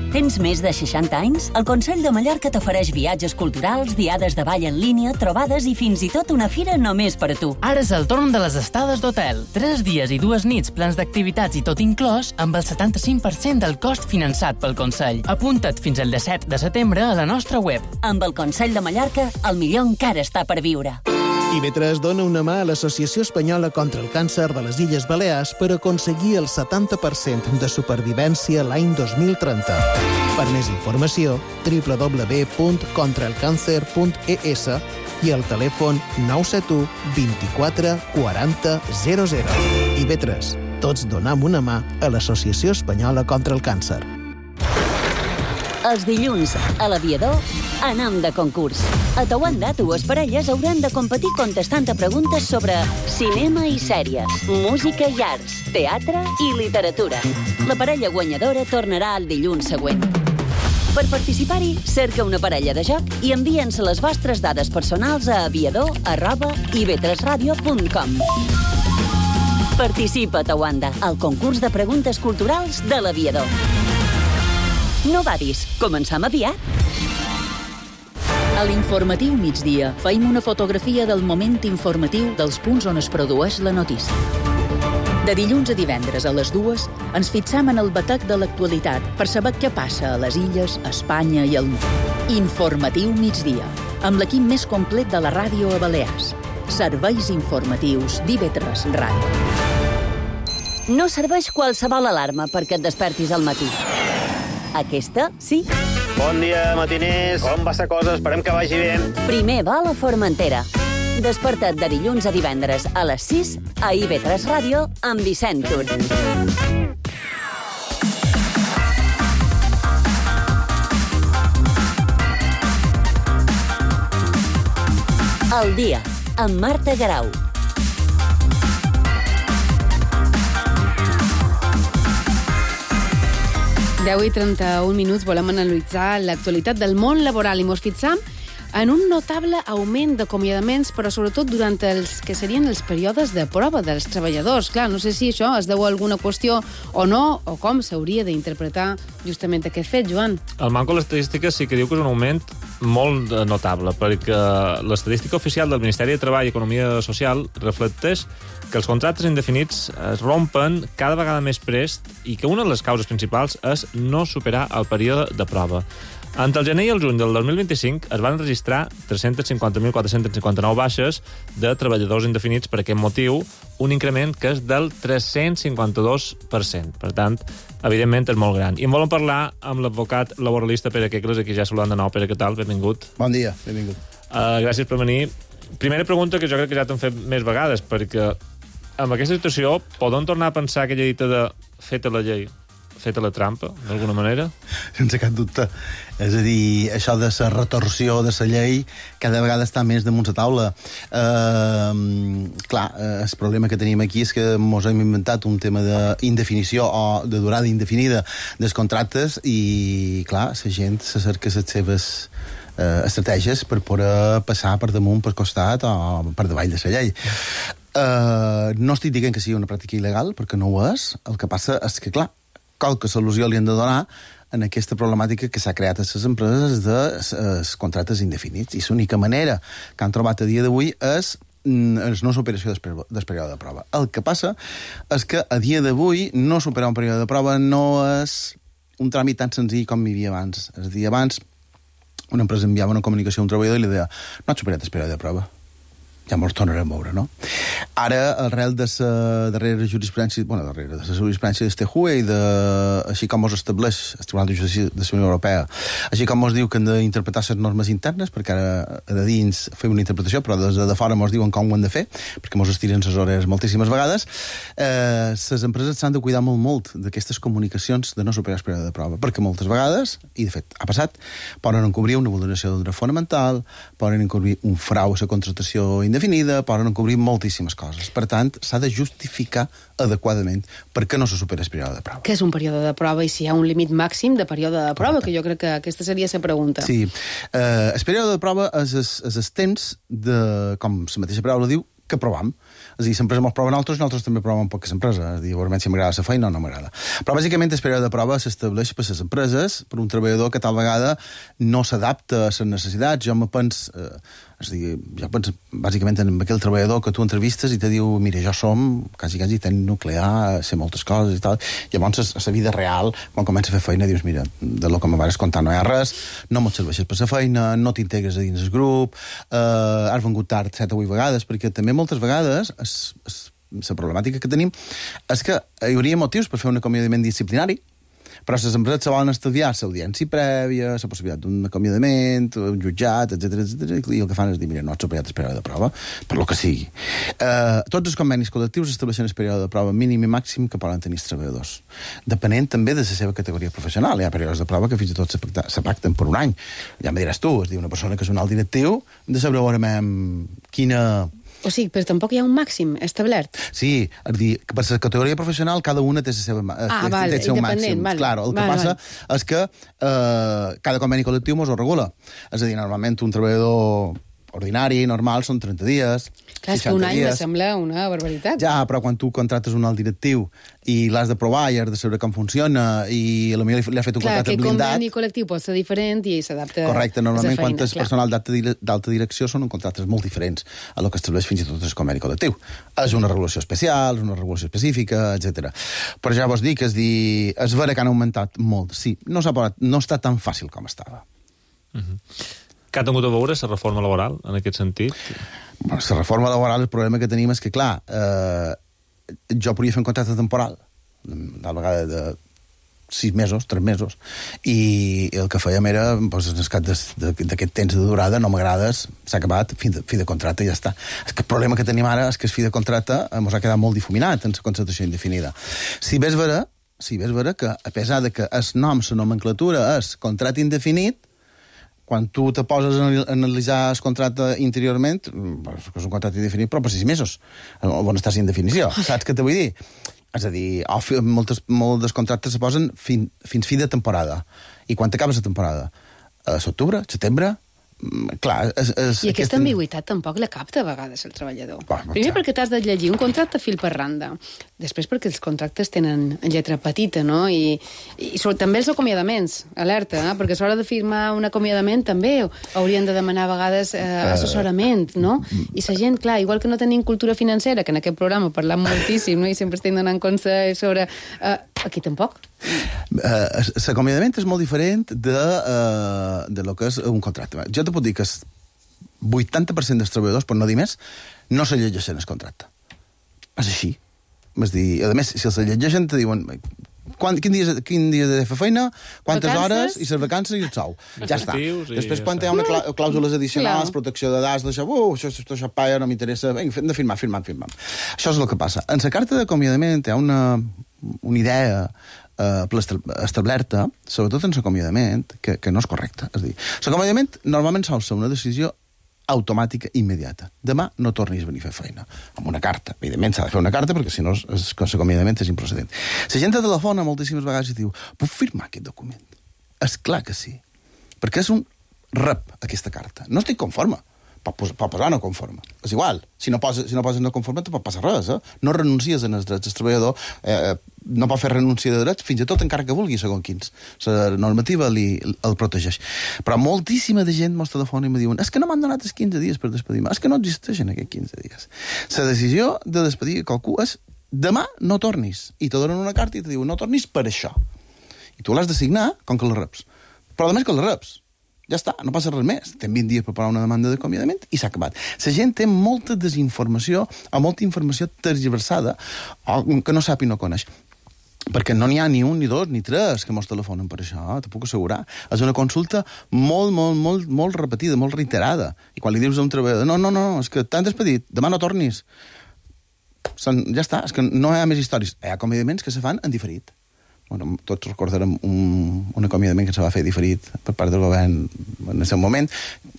Tens més de seixanta anys? El Consell de Mallorca t'ofereix viatges culturals, diades de ball en línia, trobades i fins i tot una fira només per a tu. Ara és el torn de les estades d'hotel. Tres dies i dues nits, plans d'activitats i tot inclòs, amb el setanta-cinc per cent del cost finançat pel Consell. Apunta't fins al disset de setembre a la nostra web. Amb el Consell de Mallorca, el millor encara està per viure. I ve tres dona una mà a l'Associació Espanyola contra el Càncer de les Illes Balears per aconseguir el setanta per cent de supervivència l'any dos mil trenta. Per més informació, w w w punt contra el càncer punt e s i el telèfon nou set u vint-i-quatre quaranta zero zero. I ve tres, tots donam una mà a l'Associació Espanyola contra el Càncer. Els dilluns, a l'Aviador, anam de concurs. A Tawanda, dues parelles hauran de competir contestant a preguntes sobre cinema i sèries, música i arts, teatre i literatura. La parella guanyadora tornarà el dilluns següent. Per participar-hi, cerca una parella de joc i envia'ns les vostres dades personals a aviador arroba i ve tres ràdio punt com. Participa a Tawanda, al concurs de preguntes culturals de l'Aviador. No badis, començam aviat. A l'informatiu migdia feim una fotografia del moment informatiu dels punts on es produeix la notícia. De dilluns a divendres a les dues ens fixam en el batec de l'actualitat per saber què passa a les illes, a Espanya i al món. Informatiu migdia, amb l'equip més complet de la ràdio a Balears. Serveis informatius d'I V tres Ràdio. No serveix qualsevol alarma perquè et despertis al matí. Aquesta, sí. Bon dia, matiners. Com va la cosa? Esperem que vagi bé. Primer vol a Formentera. Desperta't de dilluns a divendres a les sis a I V tres Ràdio amb Vicent Tur. El dia, amb Marta Garau. deu i trenta-un minuts volem analitzar l'actualitat del món laboral i mos fixam en un notable augment d'acomiadaments, però sobretot durant els que serien els períodes de prova dels treballadors. Clar, no sé si això es deu a alguna qüestió o no, o com s'hauria d'interpretar justament aquest fet, Joan. El manco de l'estadística sí que diu que és un augment molt notable, perquè l'estadística oficial del Ministeri de Treball i Economia Social reflecteix que els contractes indefinits es rompen cada vegada més prest i que una de les causes principals és no superar el període de prova. Entre el gener i el juny del dos mil vint-i-cinc es van registrar tres-cents cinquanta mil quatre-cents cinquanta-nou baixes de treballadors indefinits per aquest motiu, un increment que és del tres-cents cinquanta-dos per cent. Per tant, evidentment és molt gran. I en volem parlar amb l'advocat laboralista Pere Quecles, aquí ja saludant de nou. Pere, què tal? Benvingut. Bon dia, benvingut. Uh, gràcies per venir. Primera pregunta que jo crec que ja t'han fet més vegades, perquè amb aquesta situació podem tornar a pensar aquella dita de feta la llei, feta la trampa, d'alguna manera? Sense cap dubte. És a dir, això de la retorsió de la llei cada vegada està més damunt la taula. Uh, clar, uh, el problema que tenim aquí és que ens hem inventat un tema d'indefinició o de durada indefinida dels contractes i, clar, la gent se cerca les seves uh, estratègies per poder passar per damunt, per costat o per davall de la llei. Uh, no estic dient que sigui una pràctica il·legal, perquè no ho és. El que passa és que, clar, qualque solució li han de donar en aquesta problemàtica que s'ha creat a les empreses de els contractes indefinits. I l'única manera que han trobat a dia d'avui és, és no superació del període de prova. El que passa és que a dia d'avui no superar un període de prova no és un tràmit tan senzill com hi havia abans. És a dir, abans una empresa enviava una comunicació a un treballador i li deia no et superat el període de prova. Ja mos tornarem a veure, no? Ara, arrel de la darrera jurisprudència, bueno, darrere de la jurisprudència del T J U E i de, així com mos estableix el Tribunal de Justícia de la Unió Europea, així com mos diu que han d'interpretar les normes internes, perquè ara de dins fer una interpretació, però des de fora mos diuen com ho han de fer, perquè mos estiren les hores moltíssimes vegades, eh, les empreses s'han de cuidar molt, molt d'aquestes comunicacions de no superar el període de prova, perquè moltes vegades, i de fet ha passat, poden encobrir una vulneració del dret fonamental, poden encobrir un frau a la contractació indefinida, definida, poden encobrir moltíssimes coses. Per tant, s'ha de justificar adequadament perquè no se supera el període de prova. Què és un període de prova i si hi ha un límit màxim de període de prova? Correcte. Que jo crec que aquesta seria la pregunta. Sí. Eh, el període de prova és el, és el temps de, com la mateixa paraula diu, que provam. És a dir, l'empresa ens prova nosaltres i nosaltres també provem un poc que l'empresa. És a dir, veurem si m'agrada la feina o no m'agrada. Però, bàsicament, el període de prova s'estableix per les empreses, per un treballador que tal vegada no s'adapta a les necessitats. Jo me penso... Eh, és a dir, jo penso, bàsicament, en aquell treballador que tu entrevistes i te diu, mira, jo som quasi, quasi tècnic nuclear, sé moltes coses i tal. Llavors, a la vida real, quan comença a fer feina, dius, mira, de lo que me vas contar no hi ha res, no m'ho serveixes per la feina, no t'integres a dins el grup, eh, has vengut tard set o vuit vegades, perquè també moltes vegades es, es, la problemàtica que tenim és que hi hauria motius per fer un acomiadament disciplinari, però les empreses se volen estudiar l'audiència prèvia, la possibilitat d'un acomiadament, un jutjat, etcètera, etcètera, i el que fan és dir, mira, no ets superat el període de prova, per lo que sigui. Eh, tots els convenis col·lectius estableixen el període de prova mínim i màxim que poden tenir els treballadors, depenent també de la seva categoria professional. Hi ha períodes de prova que fins i tot se pacten per un any. Ja me diràs tu, és dir, una persona que és un alt directiu, de saber veurem quina... O sigui, però tampoc hi ha un màxim establert. Sí, és dir, que per la categoria professional cada una té el seu, ah, val, té el seu màxim. Vale. Claro, el que vale, passa vale. és que eh, cada conveni col·lectiu mos ho regula. És a dir, normalment un treballador ordinari, normal, són trenta dies, clar, és que un any me sembla una barbaritat. Ja, però quan tu contractes un alt directiu i l'has de provar i has de saber com funciona i a la millor li ha fet un clar, contracte blindat... Clar, que conveni col·lectiu pot ser diferent i s'adapta a correcte, normalment feina, quan és personal d'alta direcció són contractes molt diferents a lo que estableix fins i tot el conveni col·lectiu. És una regulació especial, és una regulació específica, etcètera. Però ja vos dic, és dir, és vera que han augmentat molt. Sí, no s'ha parat, no està tan fàcil com estava. Uh-huh. Què ha tingut a veure la reforma laboral, en aquest sentit? Bueno, la reforma laboral, el problema que tenim és que, clar, eh, jo podria fer un contracte temporal, tal vegada de sis mesos, tres mesos, i el que fèiem era, doncs, en el cap d'aquest temps de durada, no m'agrades, s'ha acabat, fi de, fi de contracte, i ja està. És que el problema que tenim ara és que el fi de contracte ens ha quedat molt difuminat en la contractació indefinida. Si ves vera, si ves vera que, a pesar de que el nom, la nomenclatura és contracte indefinit, quan tu te poses a analitzar el contracte interiorment, és un contracte indefinit, però per sis mesos, on està sin definició. Saps què te vull dir? És a dir, moltes, molts contractes se posen fin, fins fi de temporada. I quan t'acabes la temporada? A l'octubre? Setembre? Clar, és, és, I aquesta ambigüitat tampoc la capta a vegades el treballador. Bah, primer perquè t'has de llegir un contracte fil per randa, després perquè els contractes tenen lletra petita, no? I, i sobre, també els acomiadaments, alerta, eh? Perquè a l'hora de firmar un acomiadament també haurien de demanar a vegades eh, assessorament, no? I la gent, clar, igual que no tenim cultura financera, que en aquest programa parlam moltíssim, no? I sempre estem donant consell sobre... Eh, aquí tampoc. Uh, l'acomiadament és molt diferent de, uh, de lo que és un contracte. Jo te puc dir que el vuitanta per cent dels treballadors, per no dir més, no se llegeixen el contracte. És així. És dir, a més, si els llegeixen, te diuen quan, quin, dia, quin dia de fer feina, quantes vacances, hores, i les vacances i el sou. Ja està. Després, quan hi ha una clàusules addicionals, protecció de dades, d'això, uh, això, això, això paia, no m'interessa, vinga, hem de firmar, firmar, firmar. Això és el que passa. En la carta d'acomiadament hi ha una, una idea eh, establerta, sobretot en l'acomiadament, que, que no és correcta. És a dir, l'acomiadament normalment sol ser una decisió automàtica immediata. Demà no tornis a venir a fer feina. Amb una carta. Evidentment s'ha de fer una carta perquè si no l'acomiadament és improcedent. La gent de telefona moltíssimes vegades i diu puc firmar aquest document? És clar que sí. Perquè és un rep, aquesta carta. No estic conforme. Pot posar no conforme. És igual. Si no poses, si no poses no conforme, no pot passar res. Eh? No renuncies en els drets del treballador. Eh, no pot fer renúncia de drets, fins i tot encara que vulgui, segons quins. La normativa li, el protegeix. Però moltíssima de gent mos telefona i me diuen és que no m'han donat els quinze dies per despedir-me. És que no existeixen aquests quinze dies. La decisió de despedir qualcú és demà no tornis. I te donen una carta i te diuen no tornis per això. I tu l'has de signar com que la reps. Però a més que la reps. Ja està, no passa res més. Tem vint dies per parar una demanda d'acomiadament i s'ha acabat. La gent té molta desinformació o molta informació tergiversada o que no sap i no coneix. Perquè no n'hi ha ni un, ni dos, ni tres que mos telefonen per això, t'ho puc assegurar. És una consulta molt, molt, molt, molt repetida, molt reiterada. I quan li dius a un treballador, no, no, no, és que t'han despedit, demà no tornis. Són, ja està, és que no hi ha més històries. Hi ha acomiadaments que se fan en diferit. Bueno, tots recordarem un, un acomiadament que se va fer diferit per part del govern en el seu moment.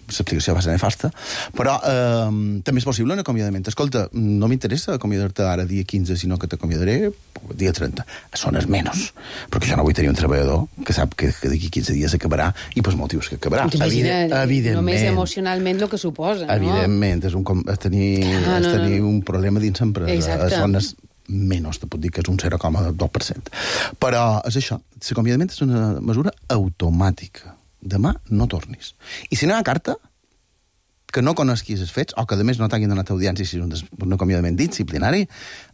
L'explicació va ser nefasta. Però eh, també és possible un acomiadament. Escolta, no m'interessa acomiadar-te ara dia quinze, sinó que t'acomiadaré dia trenta. Són els menys. Perquè jo no vull tenir un treballador que sap que, que d'aquí quinze dies s'acabarà i pels motius que acabarà. Evident, evidentment. Només emocionalment el que suposa, no? Evidentment. És, un, és tenir, ah, no, és tenir un problema dins l'empresa. Són les menys, te puc dir que és un zero coma dos per cent. Però és això, l'acomiadament és una mesura automàtica. Demà no tornis. I si no hi ha carta, que no coneguis els fets, o que a més no t'hagin donat audiència si és un, un acomiadament disciplinari,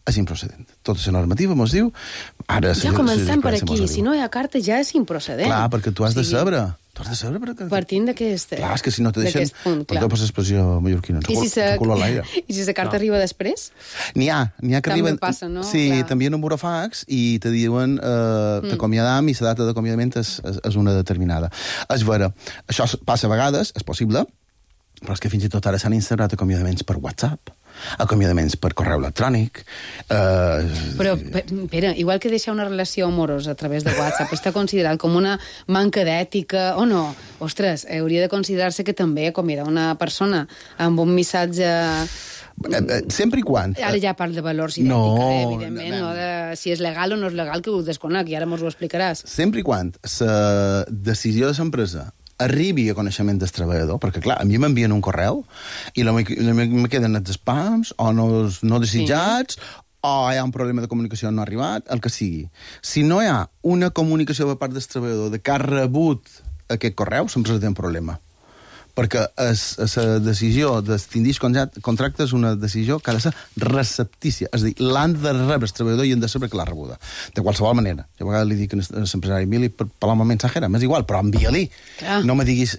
és improcedent. Tota la normativa mos diu... Ara, ja comencem per aquí. Si no hi ha carta ja és improcedent. Clar, perquè tu has de saber... Tu has de saber perquè... Partint d'aquest... Clar, és que si no te deixen... Perdó per l'expressió mallorquina. I si la carta arriba després? N'hi ha, n'hi ha que arriben... També passa, no? Sí, t'envien un burofax i te diuen t'acomiadam i la data d'acomiadament és una determinada. És vera, això passa a vegades, és possible, però és que fins i tot ara s'han instaurat acomiadaments per WhatsApp, acomiadaments per correu electrònic... Eh... Però, Pere, igual que deixar una relació amorosa a través de WhatsApp està considerat com una manca d'ètica, o no? Ostres, hauria de considerar-se que també acomiadar una persona amb un missatge... Sempre i quan... Ara ja parla de valors i no, d'ètica, eh, evidentment, no, no de si és legal o no és legal, que ho desconec, i ara mos ho explicaràs. Sempre i quan la decisió de l'empresa arribi a coneixement del treballador, perquè, clar, a mi m'envien un correu i la, me queden els spams o no, no desitjats, sí. O hi ha un problema de comunicació no ha arribat, el que sigui. Si no hi ha una comunicació per part del treballador de que ha rebut aquest correu, sempre té un problema. Perquè la decisió d'extindir contracte és una decisió que ha de ser receptícia. És a dir, l'han de rebre el treballador i han de saber que l'ha rebuda. De qualsevol manera. Jo a vegades li dic a l'empresari, envia-li per parlar amb el mensajera, m'és igual, però envia-li. No me diguis...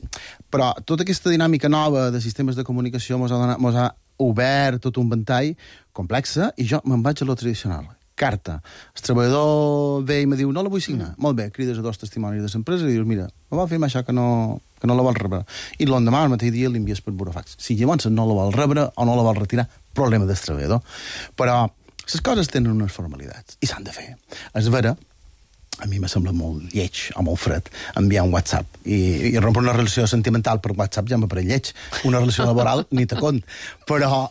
Però tota aquesta dinàmica nova de sistemes de comunicació mos ha, donat, mos ha obert tot un ventall complexa i jo me'n vaig a lo tradicional. Carta. El treballador ve i me diu, no la vull signar. Mm. Molt bé, crides a dos testimonis de l'empresa i dius, mira, me va firmar això que no, que no la vol rebre. I l'endemà, al mateix dia, l'envies per burofax. Si llavors no la vol rebre o no la vol retirar, problema del treballador. Però les coses tenen unes formalitats i s'han de fer. És vera, a mi me sembla molt lleig o molt fred enviar un WhatsApp i, i rompre una relació sentimental per WhatsApp ja me pareix lleig. Una relació laboral ni te cont. Però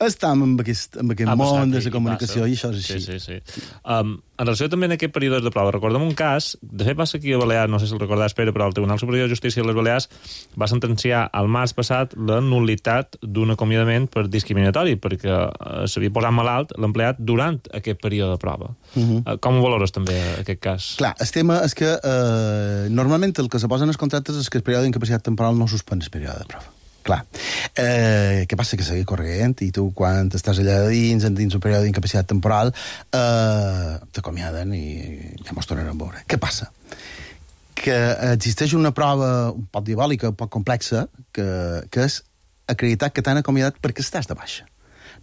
estem en aquest, en aquest món de la comunicació i, i això és així. Sí, sí, sí. Um, en relació també en aquest període de prova, recordem un cas, de fet passa aquí a Balears, no sé si el recordàs, Pere, però el Tribunal Superior de Justícia de les Balears va sentenciar al març passat la nul·litat d'un acomiadament per discriminatori, perquè uh, s'havia posat malalt l'empleat durant aquest període de prova. Uh-huh. uh, com ho valores també aquest cas? Clar, el tema és que eh, normalment el que se posa en els contractes és que el període d'incapacitat temporal no suspèn el període de prova. Clar. Eh, què passa? Que seguir corrent i tu, quan estàs allà dins, dins un període d'incapacitat temporal, eh, t'acomiaden i ja mos tornarem a veure. Què passa? Que existeix una prova un poc diabòlica, un poc complexa, que, que és acreditar que t'han acomiadat perquè estàs de baixa,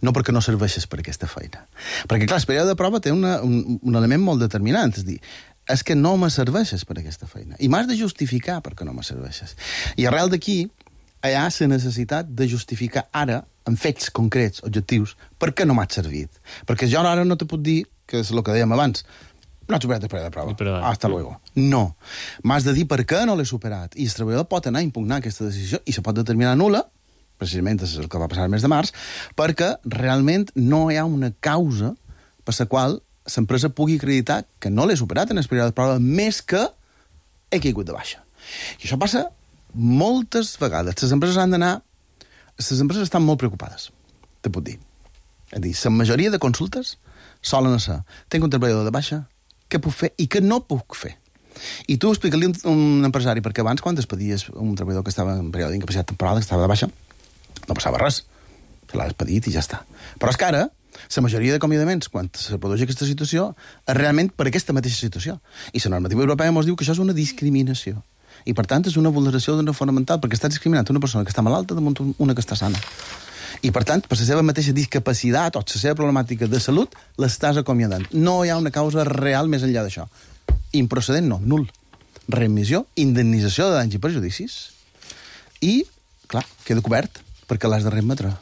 no perquè no serveixes per aquesta feina. Perquè, clar, el període de prova té una, un, un element molt determinant, és dir, és que no me serveixes per aquesta feina. I m'has de justificar perquè no me serveixes. I arrel d'aquí, hi ha la necessitat de justificar ara, en fets concrets, objectius, per què no m'has servit. Perquè jo ara no te puc dir, que és el que dèiem abans, no he superat el període de prova. Però, hasta luego. No. M'has de dir per què no l'he superat. I el treballador pot anar a impugnar aquesta decisió i se pot determinar nul·la, precisament és el que va passar el mes de març, perquè realment no hi ha una causa per la qual l'empresa pugui acreditar que no l'he superat en el període de prova, més que he caigut de baixa. I això passa moltes vegades. Les empreses han d'anar... Les empreses estan molt preocupades, te puc dir. És a dir, la majoria de consultes solen ser, tinc un treballador de baixa, què puc fer i què no puc fer. I tu explica-li un, un empresari, perquè abans, quan despedies un treballador que estava en període d'incapacitat temporal, que estava de baixa, no passava res. Se l'ha despedit i ja està. Però és que ara, la majoria d'acomiadaments, quan se produeix aquesta situació, és realment per aquesta mateixa situació. I la normativa europea ens diu que això és una discriminació. I, per tant, és una vulneració d'una fonamental, perquè estàs discriminant una persona que està malalta damunt una que està sana. I, per tant, per la seva mateixa discapacitat o la seva problemàtica de salut, l'estàs acomiadant. No hi ha una causa real més enllà d'això. Improcedent, no, nul. Remissió, indemnització de danys i perjudicis i, clar, queda cobert perquè l'has de remetre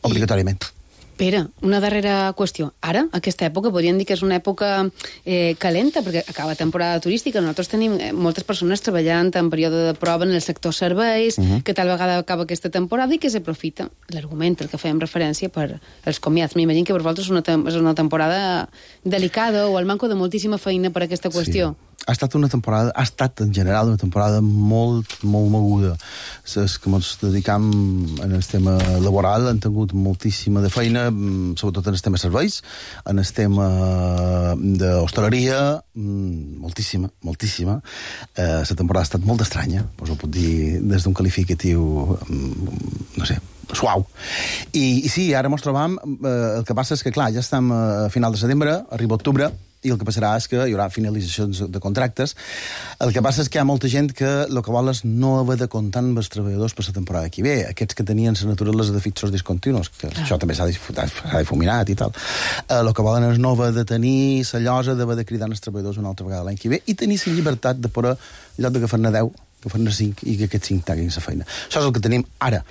obligatòriament. Pere, una darrera qüestió. Ara, aquesta època, podríem dir que és una època eh, calenta, perquè acaba temporada turística. Nosaltres tenim eh, moltes persones treballant en període de prova en el sector serveis, uh -huh. que tal vegada acaba aquesta temporada i que s'aprofita l'argument al que fèiem referència per als comiats. M'imagino que per vosaltres és una, és una temporada delicada o el manco de moltíssima feina per aquesta qüestió. Sí. Ha estat una temporada, ha estat en general una temporada molt, molt moguda. Els que ens dedicam en el tema laboral han tingut moltíssima de feina, sobretot en el tema serveis, en el tema d'hostaleria, moltíssima, moltíssima. Eh, la temporada ha estat molt estranya, us ho puc dir des d'un qualificatiu, no sé, suau. I, i sí, ara ens trobam, eh, el que passa és que, clar, ja estem a final de setembre, arriba octubre, i el que passarà és que hi haurà finalitzacions de contractes. El que passa és que hi ha molta gent que el que vol és no haver de comptar amb els treballadors per la temporada que ve. Aquests que tenien la naturalesa de fixos discontinus, que ah. això també s'ha difuminat i tal. El eh, que volen és no haver de tenir la llosa d'haver de cridar els treballadors una altra vegada l'any que ve i tenir la llibertat de poder, en lloc d'agafar-ne deu, agafar-ne cinc i que aquests cinc taguin la feina. Això és el que tenim ara.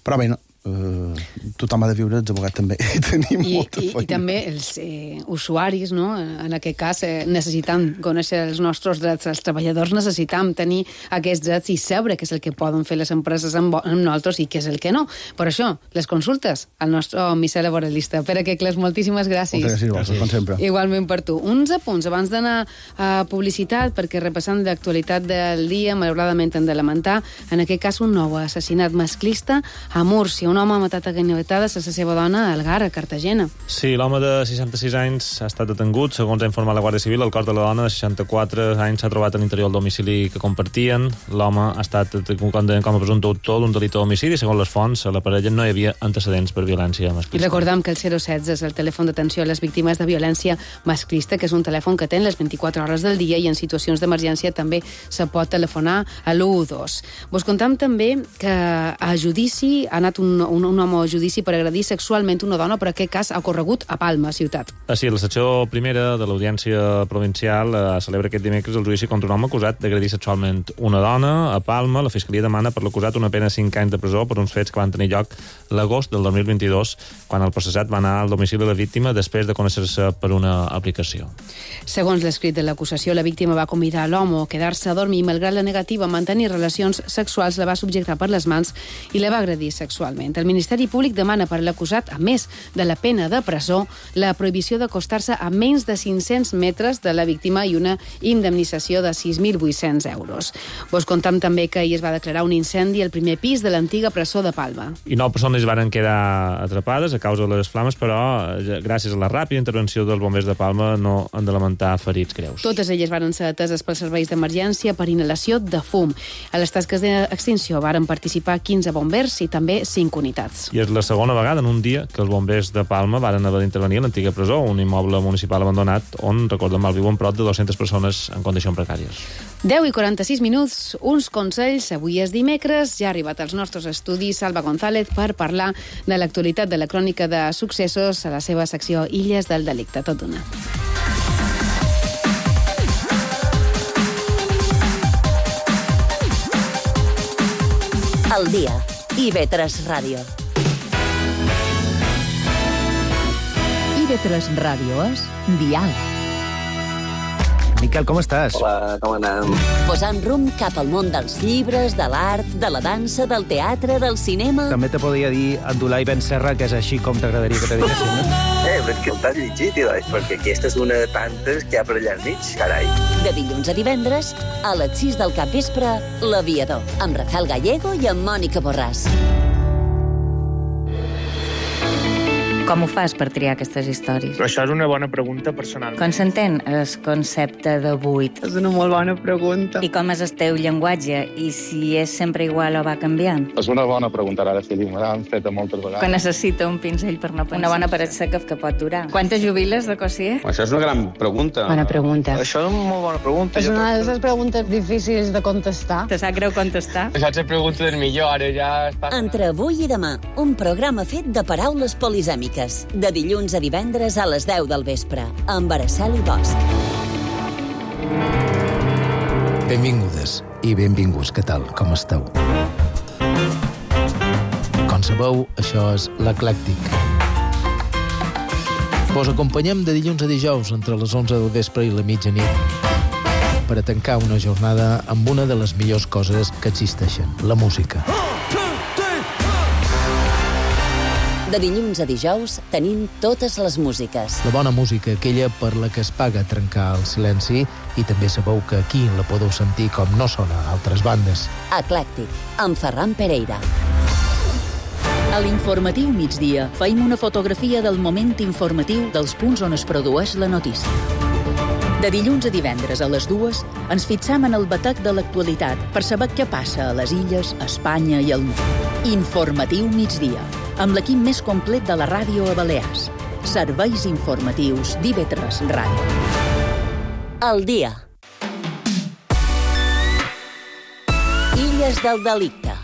Però bé, no, Uh, tothom ha de viure, els advocats també i tenim I, molta i, feina. I també els eh, usuaris, no? En aquest cas, eh, necessitam conèixer els nostres drets, els treballadors necessitam tenir aquests drets i saber què és el que poden fer les empreses amb, amb nosaltres i què és el que no. Per això, les consultes al nostre missatge laboralista. Pere Quecles, moltíssimes gràcies. Moltes gràcies, com sempre. Igualment per tu. Uns apunts abans d'anar a publicitat, perquè repassant l'actualitat del dia, malauradament hem de lamentar, en aquest cas un nou assassinat masclista a Múrcia. Un home ha matat a ganivetades a la seva dona a Algar, a Cartagena. Sí, l'home de seixanta-sis anys ha estat detengut. Segons ha informat la Guàrdia Civil, el cos de la dona de seixanta-quatre anys s'ha trobat a l'interior del domicili que compartien. L'home ha estat detingut com a presumpte autor d'un delicte d'homicidi. Segons les fonts, a la parella no hi havia antecedents per violència masclista. I recordam que el zero setze és el telèfon d'atenció a les víctimes de violència masclista, que és un telèfon que ten les vint-i-quatre hores del dia i en situacions d'emergència també se pot telefonar a l'u u dos. Vos contam també que a judici ha anat un Un, un home a judici per agredir sexualment una dona, per aquest cas ha ocorregut a Palma, ciutat. Ah, sí, la secció primera de l'Audiència Provincial eh, celebra aquest dimecres el judici contra un home acusat d'agredir sexualment una dona a Palma. La Fiscalia demana per l'acusat una pena de cinc anys de presó per uns fets que van tenir lloc l'agost del dos mil vint-i-dos, quan el processat va anar al domicili de la víctima després de conèixer-se per una aplicació. Segons l'escrit de l'acusació, la víctima va convidar l'home a quedar-se a dormir i, malgrat la negativa a mantenir relacions sexuals, la va subjectar per les mans i la va agredir sexualment. El Ministeri Públic demana per l'acusat, a més de la pena de presó, la prohibició d'acostar-se a menys de cinc-cents metres de la víctima i una indemnització de sis mil vuit-cents euros. Vos contam també que ahir es va declarar un incendi al primer pis de l'antiga presó de Palma. I nou persones van quedar atrapades a causa de les flames, però gràcies a la ràpida intervenció dels bombers de Palma no han de lamentar ferits greus. Totes elles van ser ateses pels serveis d'emergència per inhalació de fum. A les tasques d'extinció varen participar quinze bombers i també cinc unitats. I és la segona vegada en un dia que els bombers de Palma varen haver d'intervenir a l'antiga presó, un immoble municipal abandonat on, recordem, malviuen prop de dues-centes persones en condicions precàries. deu i quaranta-sis minuts, uns consells. Avui és dimecres, ja ha arribat als nostres estudis Salva González per parlar de l'actualitat de la crònica de successos a la seva secció Illes del Delicte. Tot d'una. El dia. I ve tres Ràdio. I ve tres Ràdio és Dial. Miquel, com estàs? Hola, com anem? Posant rumb cap al món dels llibres, de l'art, de la dansa, del teatre, del cinema... També te podria dir Abdulai Ben Serra, que és així com t'agradaria que te diguessin, no? Eh, però és que el t'has llegit, tio, perquè aquesta és una de tantes que hi ha per allà al mig, carai. De dilluns a divendres, a les sis del capvespre, L'Aviador, amb Rafael Gallego i amb Mònica Borràs. Com ho fas per triar aquestes històries? Això és una bona pregunta personal. Com s'entén el concepte de buit? És una molt bona pregunta. I com és el teu llenguatge? I si és sempre igual o va canviant? És una bona pregunta, ara sí, me l'han fet moltes vegades. Que necessita un pinzell per no pensar. Una bona paret seca que pot durar. Quantes jubiles de cosier? Això és una gran pregunta. Bona pregunta. Això és una molt bona pregunta. És una de les preguntes difícils de contestar. Te sap greu contestar? Això és la pregunta del millor, ara ja... Entre avui i demà, un programa fet de paraules polisèmiques. De dilluns a divendres a les deu del vespre, amb Araceli Bosch. Benvingudes i benvinguts, què tal? Com esteu? Com sabeu, això és l'Eclèctic. Vos acompanyem de dilluns a dijous entre les onze del vespre i la mitjanit per a tancar una jornada amb una de les millors coses que existeixen, la música. De dilluns a dijous tenim totes les músiques. La bona música, aquella per la que es paga trencar el silenci, i també sabeu que aquí la podeu sentir com no sona a altres bandes. Eclèctic, amb Ferran Pereira. A l'informatiu migdia feim una fotografia del moment informatiu dels punts on es produeix la notícia. De dilluns a divendres a les dues ens fixam en el batec de l'actualitat per saber què passa a les illes, a Espanya i al món. Informatiu migdia, amb l'equip més complet de la ràdio a Balears. Serveis informatius d'I V tres Ràdio. El dia. Illes del delicte.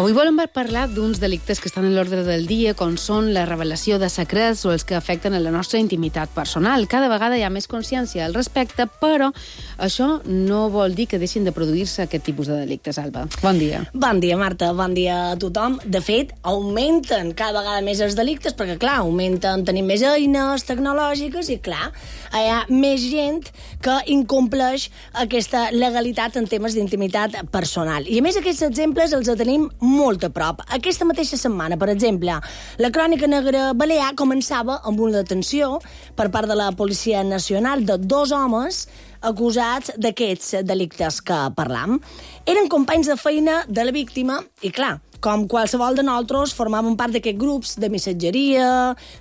Avui volem parlar d'uns delictes que estan en l'ordre del dia, com són la revelació de secrets o els que afecten a la nostra intimitat personal. Cada vegada hi ha més consciència al respecte, però això no vol dir que deixin de produir-se aquest tipus de delictes, Alba. Bon dia. Bon dia, Marta. Bon dia a tothom. De fet, augmenten cada vegada més els delictes, perquè, clar, augmenten, tenim més eines tecnològiques i, clar, hi ha més gent que incompleix aquesta legalitat en temes d'intimitat personal. I, a més, aquests exemples els tenim molt a prop. Aquesta mateixa setmana, per exemple, la Crònica Negra Balear començava amb una detenció per part de la Policia Nacional de dos homes acusats d'aquests delictes que parlam. Eren companys de feina de la víctima i, clar, com qualsevol de nosaltres, formaven part d'aquests grups de missatgeria,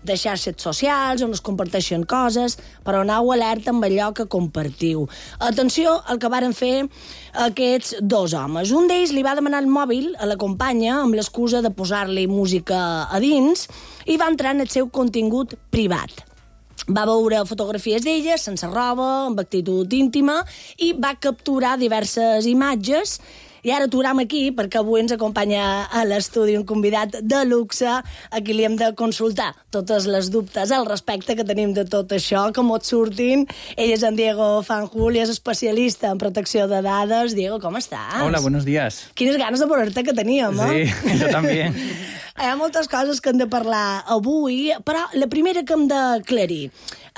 de xarxes socials, on es comparteixen coses, però aneu alerta amb allò que compartiu. Atenció al que varen fer aquests dos homes. Un d'ells li va demanar el mòbil a la companya amb l'excusa de posar-li música a dins i va entrar en el seu contingut privat. Va veure fotografies d'ella, sense roba, amb actitud íntima, i va capturar diverses imatges. I ara aturam aquí, perquè avui ens acompanya a l'estudi un convidat de luxe a qui li hem de consultar totes les dubtes al respecte que tenim de tot això, com et surtin. Ell és en Diego Fanjul i és especialista en protecció de dades. Diego, com estàs? Hola, buenos días. Quines ganes de veure-te que teníem, eh? Sí, jo també. Hi ha moltes coses que hem de parlar avui, però la primera que hem d'aclarir.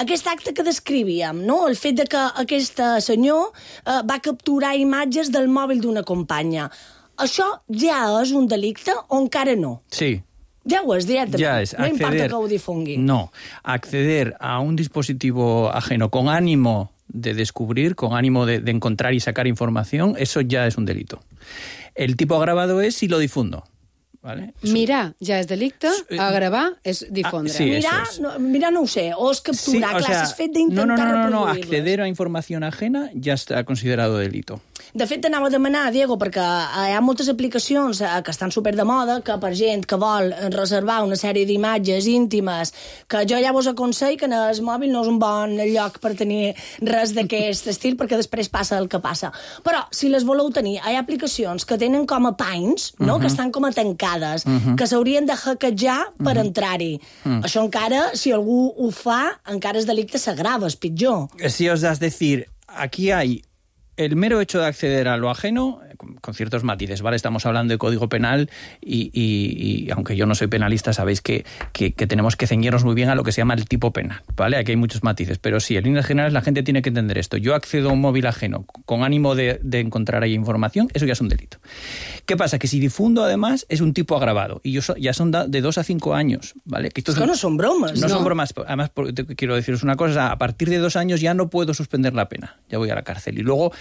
Aquest acte que descrivíem, no? El fet de que aquest senyor eh, va capturar imatges del mòbil d'una companya. Això ja és un delicte o encara no? Sí. Ja ho és, directament. Ya es no acceder, importa que ho difungui. No, acceder a un dispositivo ajeno con ánimo de descubrir, con ánimo de, de encontrar y sacar información, eso ya es un delito. El tipo agravado es si lo difundo. ¿Vale? Mirar ja és delicte, agravar és difondre. Ah, sí, mirar, es. no, mirar no ho sé, o és capturar, sí, o clar, sea, és fet d'intentar no, no, no, no, no, reproduir-les. acceder a información ajena ya está considerado delito. De fet, t'anava a demanar, Diego, perquè hi ha moltes aplicacions que estan super de moda, que per gent que vol reservar una sèrie d'imatges íntimes, que jo ja vos aconsello que en el mòbil no és un bon lloc per tenir res d'aquest estil, perquè després passa el que passa. Però, si les voleu tenir, hi ha aplicacions que tenen com a panys, no? Uh-huh. Que estan com a tancades, Uh-huh. que s'haurien de hackejar per Uh-huh. entrar-hi. Uh-huh. Això encara, si algú ho fa, encara és delicte, s'agrava, és pitjor. Si os das decir, aquí hay el mero hecho de acceder a lo ajeno, con ciertos matices, ¿vale? Estamos hablando de Código Penal y, y, y aunque yo no soy penalista, sabéis que, que, que tenemos que ceñirnos muy bien a lo que se llama el tipo penal, ¿vale? Aquí hay muchos matices, pero sí, en líneas generales la gente tiene que entender esto. Yo accedo a un móvil ajeno con ánimo de, de encontrar ahí información, eso ya es un delito. ¿Qué pasa? Que si difundo, además, es un tipo agravado y yo so, ya son da, de dos a cinco años, ¿vale? Que esto es que no son bromas. No, no son bromas. Además, quiero deciros una cosa, a partir de dos años ya no puedo suspender la pena, ya voy a la cárcel. Y luego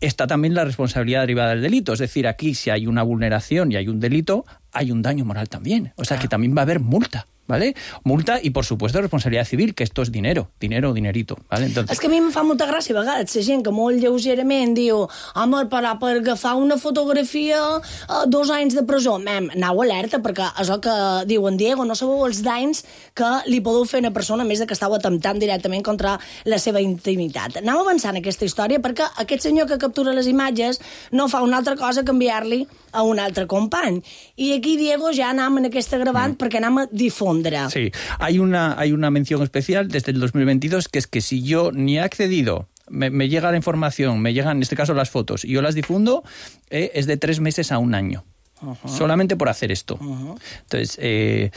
está también la responsabilidad derivada del delito. Es decir, aquí si hay una vulneración y hay un delito, hay un daño moral también. O sea, que también va a haber multa, ¿vale? Multa i, por supuesto, responsabilitat civil, que esto és dinero, dinero, dinerito, ¿vale? Entonces... És que a mi em fa molta gràcia a vegades la gent que molt lleugerament diu home, però per agafar una fotografia eh, dos anys de presó. Mem, anau alerta, perquè és el que diu en Diego, no sabeu els danys que li podeu fer a una persona, a més de que estàu atemptant directament contra la seva intimitat. Anau avançant aquesta història, perquè aquest senyor que captura les imatges no fa una altra cosa que enviar-li a un altre company. I aquí, Diego, ja anem en aquesta gravant mm. perquè anem a difondre. Sí, hay una, hay una mención especial desde el dos mil veintidós, que es que si yo ni he accedido, me, me llega la información, me llegan en este caso las fotos, y yo las difundo, eh, es de tres meses a un año. Uh-huh. Solamente por hacer esto. Uh-huh. Entonces, eh,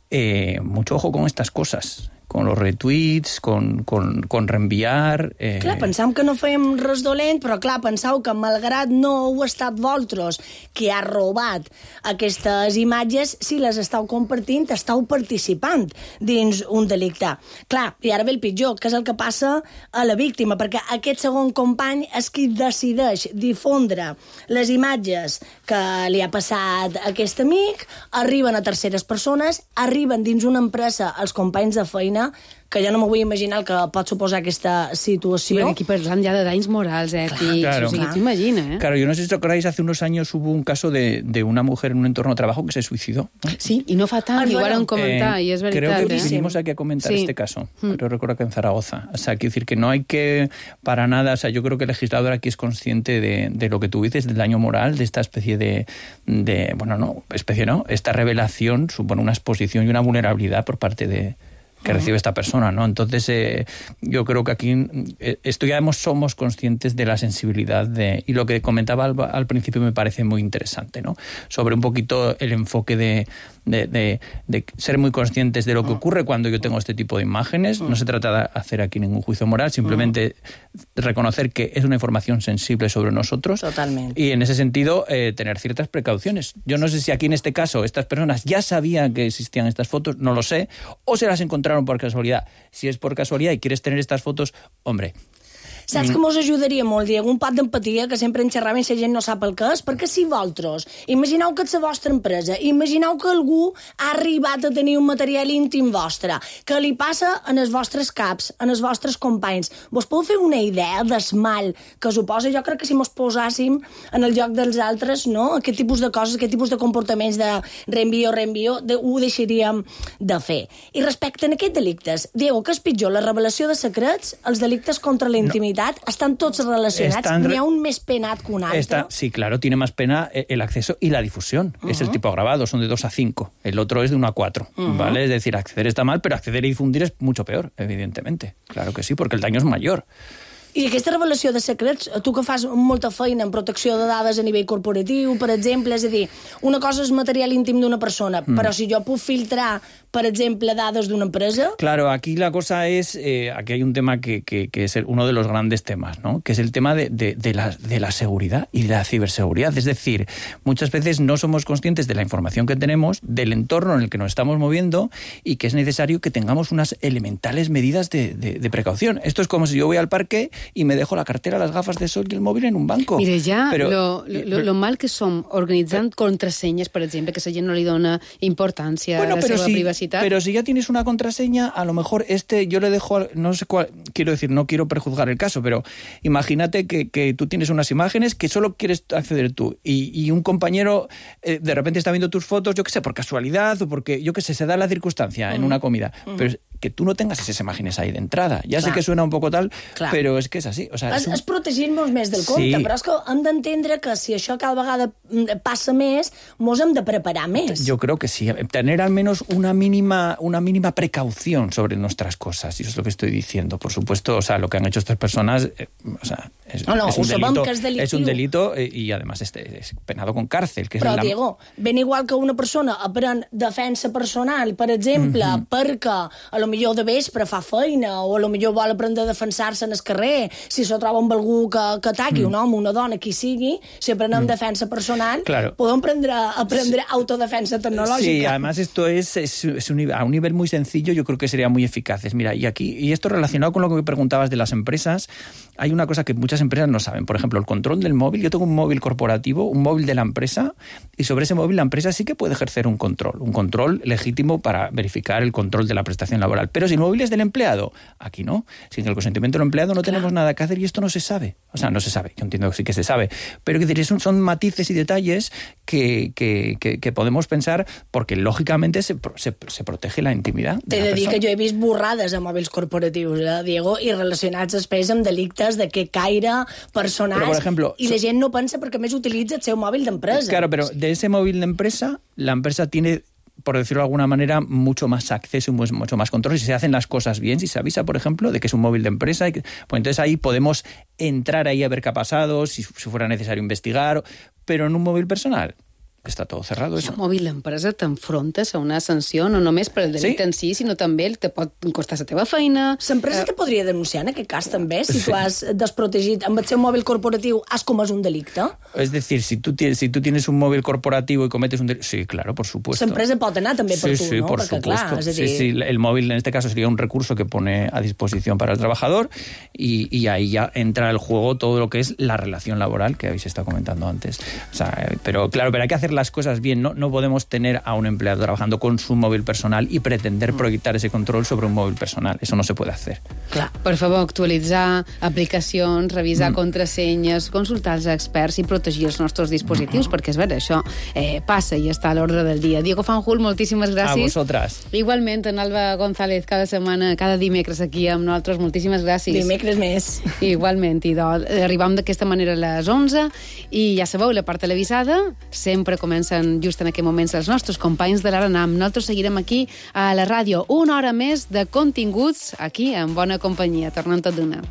eh, mucho ojo con estas cosas. Con los retweets, con, con, con reenviar... Eh... Clar, pensam que no fèiem res dolent, però clar, pensau que malgrat no heu estat vosaltres qui ha robat aquestes imatges, si les estàu compartint, estàu participant dins un delicte. Clar, i ara ve el pitjor, que és el que passa a la víctima, perquè aquest segon company és qui decideix difondre les imatges que li ha passat a aquest amic, arriben a terceres persones, arriben dins una empresa els companys de feina, que ja no m'ho vull imaginar el que pot suposar aquesta situació. Bueno, aquí parlant ja de danys morals, ètics, claro. O sigui, t'imagina, ¿eh? Claro, yo no sé si os acordáis, hace unos años hubo un caso de, de una mujer en un entorno de trabajo que se suicidó. Sí, y no fa tant, igual han comentat, eh, y es verdad. Creo que ¿eh? vinimos aquí a comentar sí. este caso, pero recuerdo que en Zaragoza. O sea, quiero decir que no hay que, para nada, o sea, yo creo que el legislador aquí es consciente de, de lo que tú dices, del daño moral, de esta especie de, de, bueno, no, especie no, esta revelación supone una exposición y una vulnerabilidad por parte de que recibe esta persona, ¿no? Entonces, eh, yo creo que aquí eh, esto ya hemos, somos conscientes de la sensibilidad de, y lo que comentaba al, al principio me parece muy interesante, ¿no? Sobre un poquito el enfoque de, de, de, de ser muy conscientes de lo que ocurre cuando yo tengo este tipo de imágenes. No se trata de hacer aquí ningún juicio moral, simplemente reconocer que es una información sensible sobre nosotros. Totalmente. Y en ese sentido, eh, tener ciertas precauciones. Yo no sé si aquí en este caso estas personas ya sabían que existían estas fotos, no lo sé, o se las encontraron por casualidad. Si es por casualidad y quieres tener estas fotos, hombre... Saps que mos ajudaria molt, Diego? Un pot d'empatia, que sempre en xerràvem i la gent no sap el que és, perquè si vosaltres, imagineu que és la vostra empresa, imagineu que algú ha arribat a tenir un material íntim vostre, que li passa en els vostres caps, en els vostres companys. Vos podeu fer una idea del mal que suposa? Jo crec que si mos posàssim en el lloc dels altres, no? Aquest tipus de coses, aquest tipus de comportaments de reenvio, reenvio, de, ho deixaríem de fer. I respecte a aquests delictes, Diego, què és pitjor, la revelació de secrets, els delictes contra la intimitat? No. Están todos relacionados, Están... ni aún más penat que un altre. Está... Sí, claro, tiene más pena el acceso y la difusión. Uh-huh. Es el tipo agravado, son de dos a cinco. El otro es de uno a cuatro, uh-huh. ¿vale? Es decir, acceder está mal, pero acceder y difundir es mucho peor, evidentemente. Claro que sí, porque el daño es mayor. I aquesta revelació de secrets, tu que fas molta feina en protecció de dades a nivell corporatiu, per exemple, és a dir, una cosa és material íntim d'una persona, mm. però si jo puc filtrar, per exemple, dades d'una empresa... Claro, aquí la cosa es, eh, aquí hay un tema que, que, que es uno de los grandes temas, ¿no? Que es el tema de, de, de, la, de la seguridad y de la ciberseguridad. Es decir, muchas veces no somos conscientes de la información que tenemos, del entorno en el que nos estamos moviendo y que es necesario que tengamos unas elementales medidas de, de, de precaución. Esto es como si yo voy al parque y me dejo la cartera, las gafas de sol y el móvil en un banco. Mira, ja però, lo, lo, lo mal que som organitzant però, contrasenyes, per exemple, que la gent no li dona importància bueno, a la seva si, privacitat. Pero si ya tienes una contraseña, a lo mejor este yo le dejo, no sé cuál, quiero decir, no quiero prejuzgar el caso, pero imagínate que, que tú tienes unas imágenes que solo quieres acceder tú y, y un compañero eh, de repente está viendo tus fotos, yo qué sé, por casualidad o porque, yo qué sé, se da la circunstancia uh-huh. en una comida, uh-huh. pero que tú no tengas esas imágenes ahí de entrada. Ya Clar. sé que suena un poco tal, Clar. però és que és així. O sea, és, és, un... és protegir-nos més del compte, sí. Però és que hem d'entendre que si això cada vegada passa més, mos hem de preparar més. Yo creo que sí. Tener al menos una mínima, una mínima precaución sobre nuestras cosas. Y eso es lo que estoy diciendo. Por supuesto, o sea, lo que han hecho estas personas, eh, o sea, Es, no, no, es un ho sabem delito, que és delictiu. Es un delito y además es, es penado con cárcel. Que Però, es la... Diego, ben igual que una persona aprèn defensa personal, per exemple, mm -hmm. perquè a lo millor de vespre fa feina o a lo millor vol aprendre a defensar-se en el carrer, si se troba amb algú que, que ataqui, mm. un home, una dona, qui sigui, si aprenem mm. defensa personal, claro. podem aprendre, aprendre sí. autodefensa tecnològica. Sí, además esto es, es, es un, a un nivel muy sencillo, yo creo que sería muy eficaces. Mira, y aquí, y esto relacionado con lo que me preguntabas de las empresas, hay una cosa que muchas empresas no saben. Por ejemplo, el control del móvil. Yo tengo un móvil corporativo, un móvil de la empresa, y sobre ese móvil la empresa sí que puede ejercer un control, un control legítimo para verificar el control de la prestación laboral. Pero si el móvil es del empleado, aquí no. Sin el consentimiento del empleado no claro. tenemos nada que hacer y esto no se sabe. O sea, no se sabe. Yo entiendo que sí que se sabe. Pero que son, son matices y detalles que, que, que, que podemos pensar porque lógicamente se, se, se protege la intimidad de T'he la de dir persona. que jo he vist borrades a mòbils corporatius, eh, Diego, i relacionats després amb delictes de que caire personals, Pero, por ejemplo, i la gent no pensa perquè més utilitza el seu mòbil d'empresa. Claro, pero de ese móvil de empresa, la empresa tiene, por decirlo de alguna manera, mucho más acceso y mucho más control. Si se hacen las cosas bien, si se avisa, por ejemplo, de que es un móvil de empresa, y que, pues entonces ahí podemos entrar ahí a ver qué ha pasado, si, si fuera necesario investigar, pero en un móvil personal està tot cerrado. I el mòbil d'empresa t'enfrontes a una sanció, no només per el delicte sí? en si, sinó també te pot costar la teva feina. L'empresa uh... te podria denunciar en aquest cas també, si sí. tu has desprotegit amb el seu mòbil corporatiu, has comès un delicte? Es decir, si tú tienes, si tú tienes un móvil corporativo y cometes un delicte... Sí, claro, por supuesto. L'empresa pot anar també per sí, tu, sí, ¿no? Por Perquè, supuesto. clar, és a dir... Sí, sí, el móvil en este caso sería un recurso que pone a disposición para el trabajador y, y ahí ya entra el juego todo lo que es la relación laboral que habéis estado comentando antes. O sea, pero claro, pero hay que hacer las cosas bien, ¿no? No podemos tener a un empleado trabajando con su móvil personal y pretender proyectar ese control sobre un móvil personal. Eso no se puede hacer. Clar, per favor, actualitzar aplicacions, revisar mm. contrasenyes, consultar els experts i protegir els nostres dispositius, mm. perquè és vera, això eh, passa i està a l'ordre del dia. Diego Fanjul, moltíssimes gràcies. A vosotras. Igualment, en Alba González, cada setmana, cada dimecres aquí amb nosaltres, moltíssimes gràcies. Dimecres més. Igualment, i doncs, arribam d'aquesta manera a les onze i ja sabeu, la part televisada sempre comencen just en aquest moments els nostres companys de l'Aranam. Nosaltres seguirem aquí a la ràdio una hora més de continguts aquí en bona companyia. Tornem tot d'una.